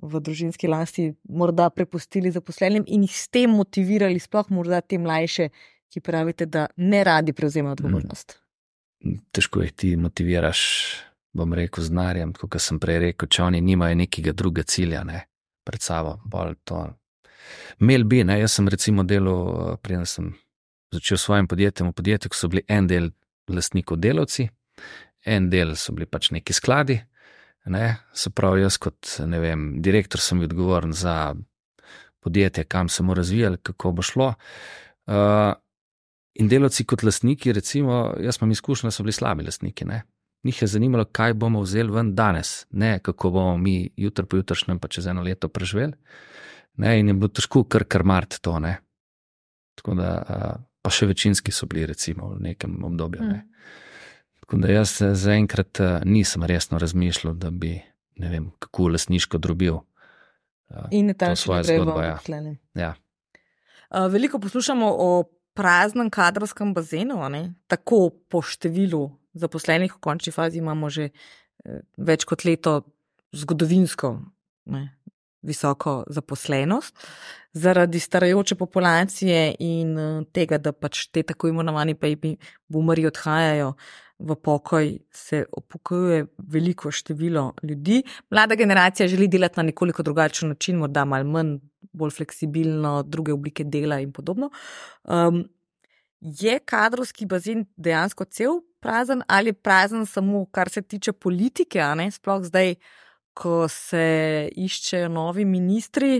[SPEAKER 1] v družinski lasti, morda prepustili zaposlenim in jih s tem motivirali, sploh morda te mlajše, ki pravite, da ne radi prevzemajo odgovornost?
[SPEAKER 4] Težko jih ti motiviraš, bom rekel, z denarjem, tako kot sem prej rekel, če oni nimajo nekega druga cilja, ne, pred sabo, bolj to. Mel bi, ne, jaz sem recimo delal, preden sem začel s svojim podjetjem v podjetju, ko so bili en del lastnikov delavci, en del so bili pač neki skladi, ne, se pravi jaz kot, ne vem, direktor sem bil odgovoren za podjetje, kam se mu razvijali, kako bo šlo. Uh, in delavci kot lastniki, recimo, jaz imam izkušnjo, da so bili slabi lastniki, ne. Njih je zanimalo, kaj bomo vzeli ven danes, ne kako bomo mi jutri po jutrišnjem pa čez eno leto preživeli. Ne, in je bilo težko kar krmariti to, ne. Tako da, pa še večinski so bili recimo v nekem obdobju, ne. Tako da jaz zaenkrat nisem resno razmišljal, da bi, ne vem, kako lastniško drobil
[SPEAKER 1] in
[SPEAKER 4] to svojo zgodbo. Ja. Ja.
[SPEAKER 1] Veliko poslušamo o praznem kadrovskem bazenu, ne, tako po številu zaposlenih, v končni fazi imamo že več kot leto zgodovinsko, ne, visoko zaposlenost, zaradi starajoče populacije in tega, da pač te tako imenovani baby boomerji odhajajo v pokoj, se upokojuje veliko število ljudi. Mlada generacija želi delati na nekoliko drugačen način, morda malo manj, bolj fleksibilno, druge oblike dela in podobno. Um, je kadrovski bazen dejansko cel prazen ali prazen samo, kar se tiče politike, a ne, sploh zdaj, ko se iščejo novi ministri,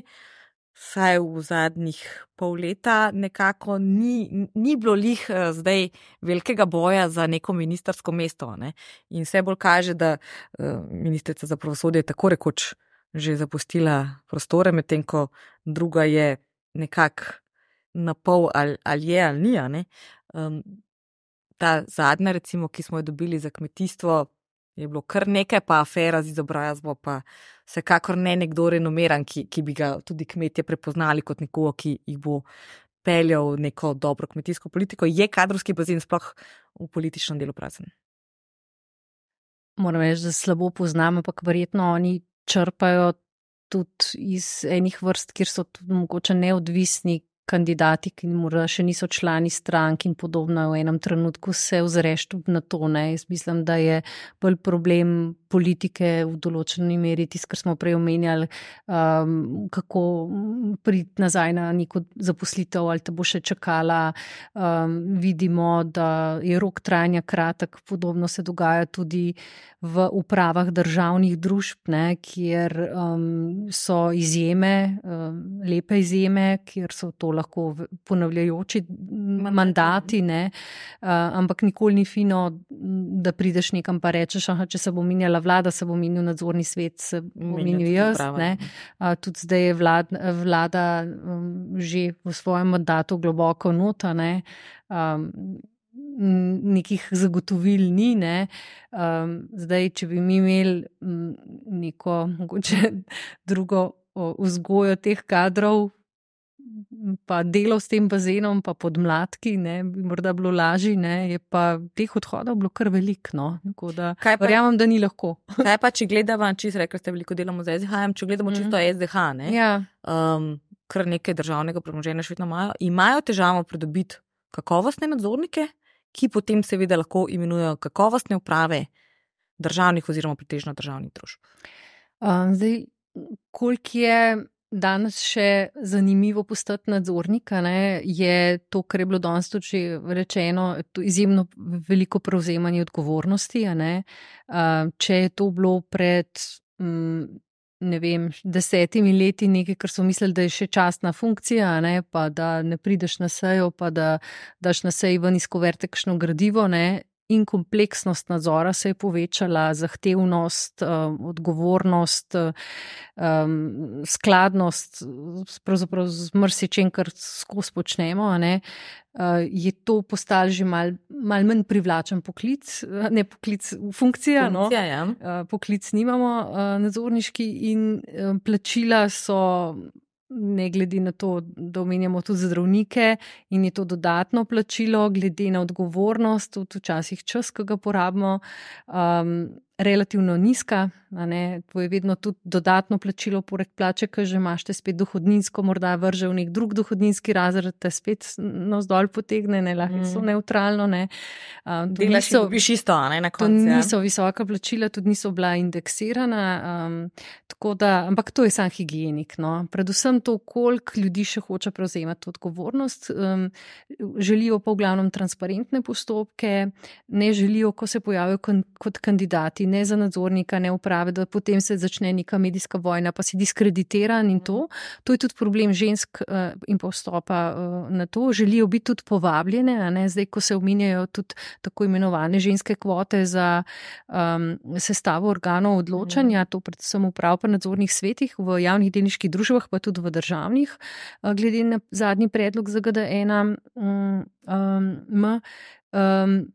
[SPEAKER 1] saj v zadnjih pol leta nekako ni, ni bilo lih zdaj velikega boja za neko ministrsko mesto, ne? In vse bolj kaže, da ministrica za pravosodje je tako rekoč že zapustila prostore, medtem ko druga je nekako na pol ali, ali je ali ni, ne? Um, ta zadnja, recimo, ki smo jo dobili za kmetijstvo, je bilo kar nekaj, pa afera z izobrazbo, pa vsekakor ne nekdo renomiran, ki, ki bi ga tudi kmetje prepoznali kot nekoga, ki jih bo peljal neko dobro kmetijsko politiko. Je kadrovski bazen sploh v političnem delu prazen?
[SPEAKER 2] Moram reči, da slabo poznam, ampak verjetno oni črpajo tudi iz enih vrst, kjer so tudi mogoče neodvisni kandidati, ki morda še niso člani strank in podobno, v enem trenutku se ozreš tudi na to, ne. Jaz mislim, da je bolj problem politike v določeni meri, tisto, kar smo prej omenjali, um, kako priti nazaj na neko zaposlitev ali te bo še čakala. Um, vidimo, da je rok trajanja kratek, podobno se dogaja tudi v upravah državnih družb, ne, kjer um, so izjeme, um, lepe izjeme, kjer so to lahko ponavljajoči mandati, ne, uh, ampak nikoli ni fino, da prideš nekam pa rečeš, aha, če se bo menjala vlada, se bo menil nadzorni svet, se bo menil jaz, ne. Uh, tudi zdaj je vlad, vlada um, že v svojem mandatu globoko nota, ne. Um, nekih zagotovil ni, ne. Um, zdaj, če bi mi imeli m, neko mogoče drugo o, vzgojo teh kadrov, pa delo s tem bazenom, pa podmladki, ne, bi morda bilo lažje, ne, je pa teh odhodov bilo kar veliko, no, tako da verjamem, da ni lahko.
[SPEAKER 1] Kaj pa, če gledamo, čisto rekli ste, veliko delamo z S D H-jem, če gledamo čisto mm. S D H, ne,
[SPEAKER 2] ja.
[SPEAKER 1] um, kar nekaj državnega premoženja še vedno imajo, imajo težavo pridobiti kakovostne nadzornike, ki potem seveda lahko imenujejo kakovostne uprave državnih oziroma pretežno državnih družb.
[SPEAKER 2] Um, zdaj, koliko je danes še zanimivo postati nadzornika, ne, je to, kar je bilo danes tudi že rečeno, to izjemno veliko prevzemanje odgovornosti. A ne. Uh, če je to bilo pred um, ne vem, desetimi leti nekaj, kar so mislili, da je še častna funkcija, ne, pa da ne prideš na sejo, pa da daš na seji ven iz kuverte kakšno gradivo, ne, in kompleksnost nadzora se je povečala, zahtevnost, um, odgovornost, um, skladnost, pravzaprav z marsičem, kar skozi počnemo, a ne, uh, je to postalo že mal, mal manj privlačen poklic, ne poklic, funkcija, no,
[SPEAKER 1] Funkcija, ja.
[SPEAKER 2] uh, poklic nimamo uh, nadzorniški in uh, plačila so, ne glede na to, da omenjamo tudi zdravnike in je to dodatno plačilo, glede na odgovornost, tudi včasih čas, ki ga porabimo, um, relativno nizka, a ne, to je vedno tudi dodatno plačilo poleg plače, ki že imaš te spet dohodninsko, morda vrže v nek drug dohodninski razred, te spet navzdol potegne, ne, lahko mm. so neutralno, ne. Um,
[SPEAKER 1] Delaš in dobiš isto, a ne, na
[SPEAKER 2] To
[SPEAKER 1] koncu.
[SPEAKER 2] niso visoka plačila, tudi niso bila indeksirana, um, tako da, ampak to je sam higienik, no. Predvsem to, koliko ljudi še hoče prevzemati odgovornost, um, želijo pa v glavnem transparentne postopke, ne želijo, ko se pojavijo kon, kot kandidati, ne za nadzornika, ne uprave, da potem se začne neka medijska vojna, pa si diskreditiran in to. To je tudi problem žensk uh, in pa vstopa uh, na to. Želijo biti tudi povabljene, a ne, zdaj, ko se omenjajo tudi tako imenovane ženske kvote za um, sestavo organov odločanja, to predvsem uprav pa nadzornih svetih v javnih delniških družbah, pa tudi v državnih, uh, glede na zadnji predlog za G D ena um, um, um,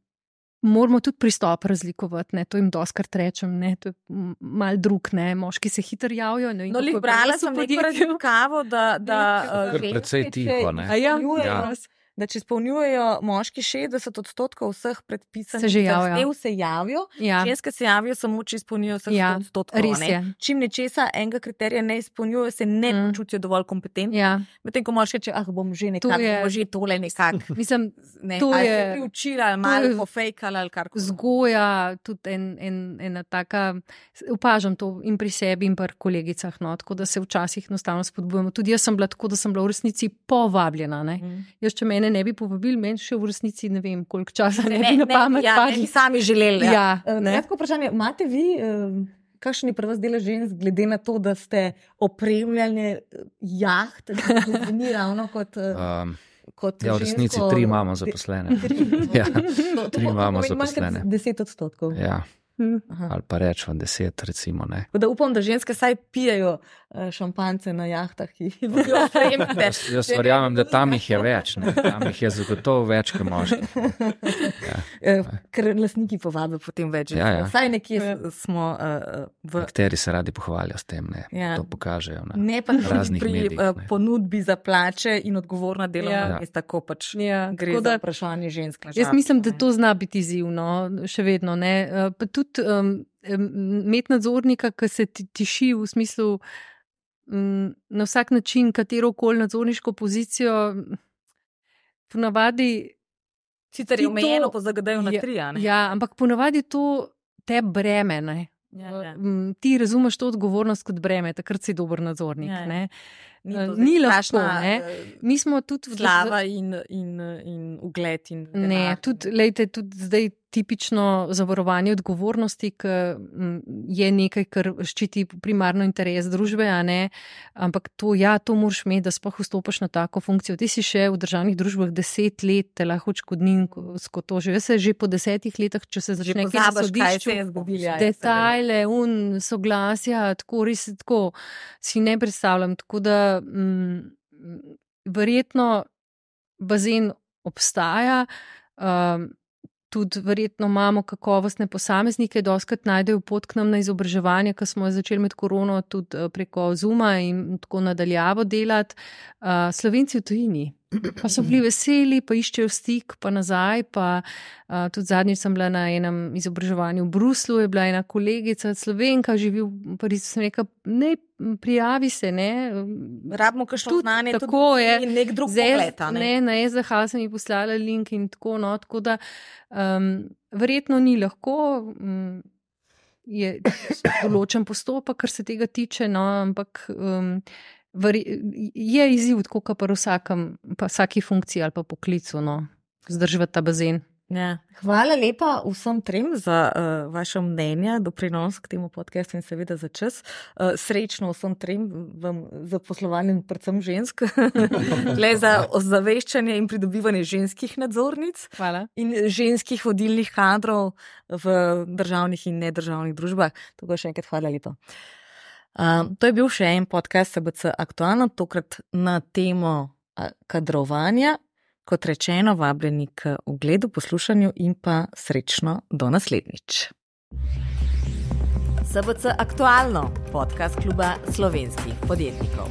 [SPEAKER 2] moramo tudi pristop razlikovati, ne, to jim doskrat rečem, ne, to je mal drug, ne, moški se hitro javijo. Ne,
[SPEAKER 1] No, lih brala sem neko raziskavo, da, da
[SPEAKER 4] Kar
[SPEAKER 1] uh,
[SPEAKER 4] precej tiho, ne.
[SPEAKER 2] A ja?
[SPEAKER 1] izpolnjujejo-
[SPEAKER 4] Ja.
[SPEAKER 1] da če izpolnjujejo moški šestdeset odstotkov vseh predpisanih
[SPEAKER 2] Se že javijo.
[SPEAKER 1] zahtev, se javijo,
[SPEAKER 2] Ja,
[SPEAKER 1] ženske se javijo samo, če izpolnjujejo vseh
[SPEAKER 2] Ja,
[SPEAKER 1] sto odstotkov.
[SPEAKER 2] res
[SPEAKER 1] ne.
[SPEAKER 2] je.
[SPEAKER 1] Čim nečesa enega kriterija ne izpolnjujejo, se ne
[SPEAKER 2] Mm.
[SPEAKER 1] počutijo dovolj kompetentni.
[SPEAKER 2] ja.
[SPEAKER 1] Medtem ko moški reče, ah, bom že nekako,
[SPEAKER 2] je-
[SPEAKER 1] bom že tole nekako.
[SPEAKER 2] Mislim,
[SPEAKER 1] Ne,
[SPEAKER 2] To
[SPEAKER 1] ali
[SPEAKER 2] je-
[SPEAKER 1] se priučila, ali
[SPEAKER 2] to
[SPEAKER 1] malo
[SPEAKER 2] je
[SPEAKER 1] pofejkala, ali kar koli.
[SPEAKER 2] vzgoja, tudi en, en, ena taka, opažam to in pri sebi in pri kolegicah, no, tako da se včasih enostavno spodbujamo. Tudi jaz sem bila tako, da sem bila v resnici povabljena, ne.
[SPEAKER 1] Mm.
[SPEAKER 2] Jaz, če mene ne bi povabili, meni še v resnici ne vem, koliko časa ne,
[SPEAKER 1] Ne,
[SPEAKER 2] bi na
[SPEAKER 1] ne,
[SPEAKER 2] pamet
[SPEAKER 1] ja, ne
[SPEAKER 2] padli.
[SPEAKER 1] bi sami želeli.
[SPEAKER 2] Ja,
[SPEAKER 1] Eh,
[SPEAKER 2] ne.
[SPEAKER 1] Kratko vprašanje, imate vi, eh, kakšen je pri vas delež žensk, glede na to, da ste opremljanje jaht, da to ni ravno kot, eh,
[SPEAKER 4] Um,
[SPEAKER 1] kot
[SPEAKER 4] ja, v resnici
[SPEAKER 1] žensko-
[SPEAKER 4] tri imamo zaposlene. Ja,
[SPEAKER 1] To- to
[SPEAKER 4] tri
[SPEAKER 1] pomeni
[SPEAKER 4] imamo
[SPEAKER 1] manj kot
[SPEAKER 4] zaposlene.
[SPEAKER 1] deset odstotkov.
[SPEAKER 4] ja,
[SPEAKER 1] Aha.
[SPEAKER 4] ali pa rečemo deset, recimo, ne.
[SPEAKER 1] Tako da upam, da ženske saj pijejo eh, šampance na jahtah, ki jih bodo opremljene.
[SPEAKER 4] Jaz, jaz verjamem, da tam jih je več, ne. Tam jih je zagotovo več, kot moških.
[SPEAKER 1] Eh, Ker lastniki povabijo potem več.
[SPEAKER 4] Ja, ja.
[SPEAKER 1] Saj nekje s- smo uh, v.
[SPEAKER 4] Nekateri se radi pohvalijo s tem, ne.
[SPEAKER 1] Ja.
[SPEAKER 4] To pokažejo. Ne.
[SPEAKER 1] Ne pa tudi
[SPEAKER 4] raznih
[SPEAKER 1] pri
[SPEAKER 4] medijih,
[SPEAKER 1] eh,
[SPEAKER 4] ne.
[SPEAKER 1] ponudbi za plače in odgovorna delovna
[SPEAKER 2] Ja.
[SPEAKER 1] mesta, ko pač
[SPEAKER 2] Ja,
[SPEAKER 1] gre
[SPEAKER 2] tako
[SPEAKER 1] za
[SPEAKER 2] da-
[SPEAKER 1] vprašanje žensk. na
[SPEAKER 2] Jaz
[SPEAKER 1] žalost,
[SPEAKER 2] mislim, da
[SPEAKER 1] ne.
[SPEAKER 2] to zna biti izzivno, še vedno. Ne? Eh, Pa tudi um, imeti nadzornika, ki se ti tiši v smislu um, na vsak način, katero koli nadzorniško pozicijo, ponavadi.
[SPEAKER 1] Sicer
[SPEAKER 2] ti
[SPEAKER 1] je omejeno
[SPEAKER 2] to-
[SPEAKER 1] po zagadajo na
[SPEAKER 2] Ja,
[SPEAKER 1] tri, a ne?
[SPEAKER 2] Ja, ampak ponavadi to te breme. Ne?
[SPEAKER 1] Ja, ja.
[SPEAKER 2] Mm, Ti razumeš to odgovornost kot breme, takrat si dober nadzornik.
[SPEAKER 1] Ja, ja.
[SPEAKER 2] Ne?
[SPEAKER 1] Ni,
[SPEAKER 2] Eh,
[SPEAKER 1] to zdaj
[SPEAKER 2] ni lahko,
[SPEAKER 1] strašna,
[SPEAKER 2] ne.
[SPEAKER 1] eh,
[SPEAKER 2] Mi smo tudi v
[SPEAKER 1] Slava in, in, in ugled. In
[SPEAKER 2] Ne,
[SPEAKER 1] denar.
[SPEAKER 2] tudi, lejte, tudi zdaj tipično zavarovanje odgovornosti, ki mm, je nekaj, kar ščiti primarno interes družbe, a ne, ampak to, ja, to moraš imeti, da sploh vstopiš na tako funkcijo. Ti si še v državnih družbah deset let, te lahko odškodninsko to že. Jaz se že po desetih letih, če se
[SPEAKER 1] Že
[SPEAKER 2] začne kje na
[SPEAKER 1] pozabiš, kaj
[SPEAKER 2] sodišču,
[SPEAKER 1] se je zgodilo. ja,
[SPEAKER 2] detajle, un, soglasja, tako res tako si ne predstavljam. Tako da mm, verjetno bazen obstaja, um, tudi verjetno imamo kakovostne posameznike, doskrat najdejo pot k nam na izobraževanje, ko smo začeli med korono tudi preko Zuma in tako nadaljavo delati. Uh, Slovenci v tujini, Pa so bili veseli, pa iščejo stik, pa nazaj. Pa, uh, tudi zadnjič sem bila na enem izobraževanju v Bruslu, je bila ena kolegica Slovenka, živi v Parizu, sem rekla, ne prijavi se, ne.
[SPEAKER 1] Rabimo kakšno znanje,
[SPEAKER 2] tako je.
[SPEAKER 1] In nek drug pogled, ne.
[SPEAKER 2] Ne, na S D H sem ji poslala link in tako, no, tako da um, verjetno ni lahko, um, je določen postopek, kar se tega tiče, no, ampak um, je izziv, tako kot pri vsakem, pa vsaki funkciji ali pa poklicu, no, zdržati ta bazen.
[SPEAKER 1] Ja. Hvala lepa vsem trem za uh, vaše mnenja, doprinos k temu podcastu in seveda za čas. Uh, srečno vsem trem vam za poslovanje, predvsem žensk, le za ozaveščanje in pridobivanje ženskih nadzornic.
[SPEAKER 2] Hvala.
[SPEAKER 1] In ženskih vodilnih kadrov v državnih in nedržavnih družbah. Tako še enkrat hvala lepa. Uh, to je bil še en podcast S B C Aktualno, tokrat na temo kadrovanja. Kot rečeno, vabljeni k ogledu, poslušanju in pa srečno do naslednjič. S B C Aktualno, podcast kluba slovenskih podjetnikov.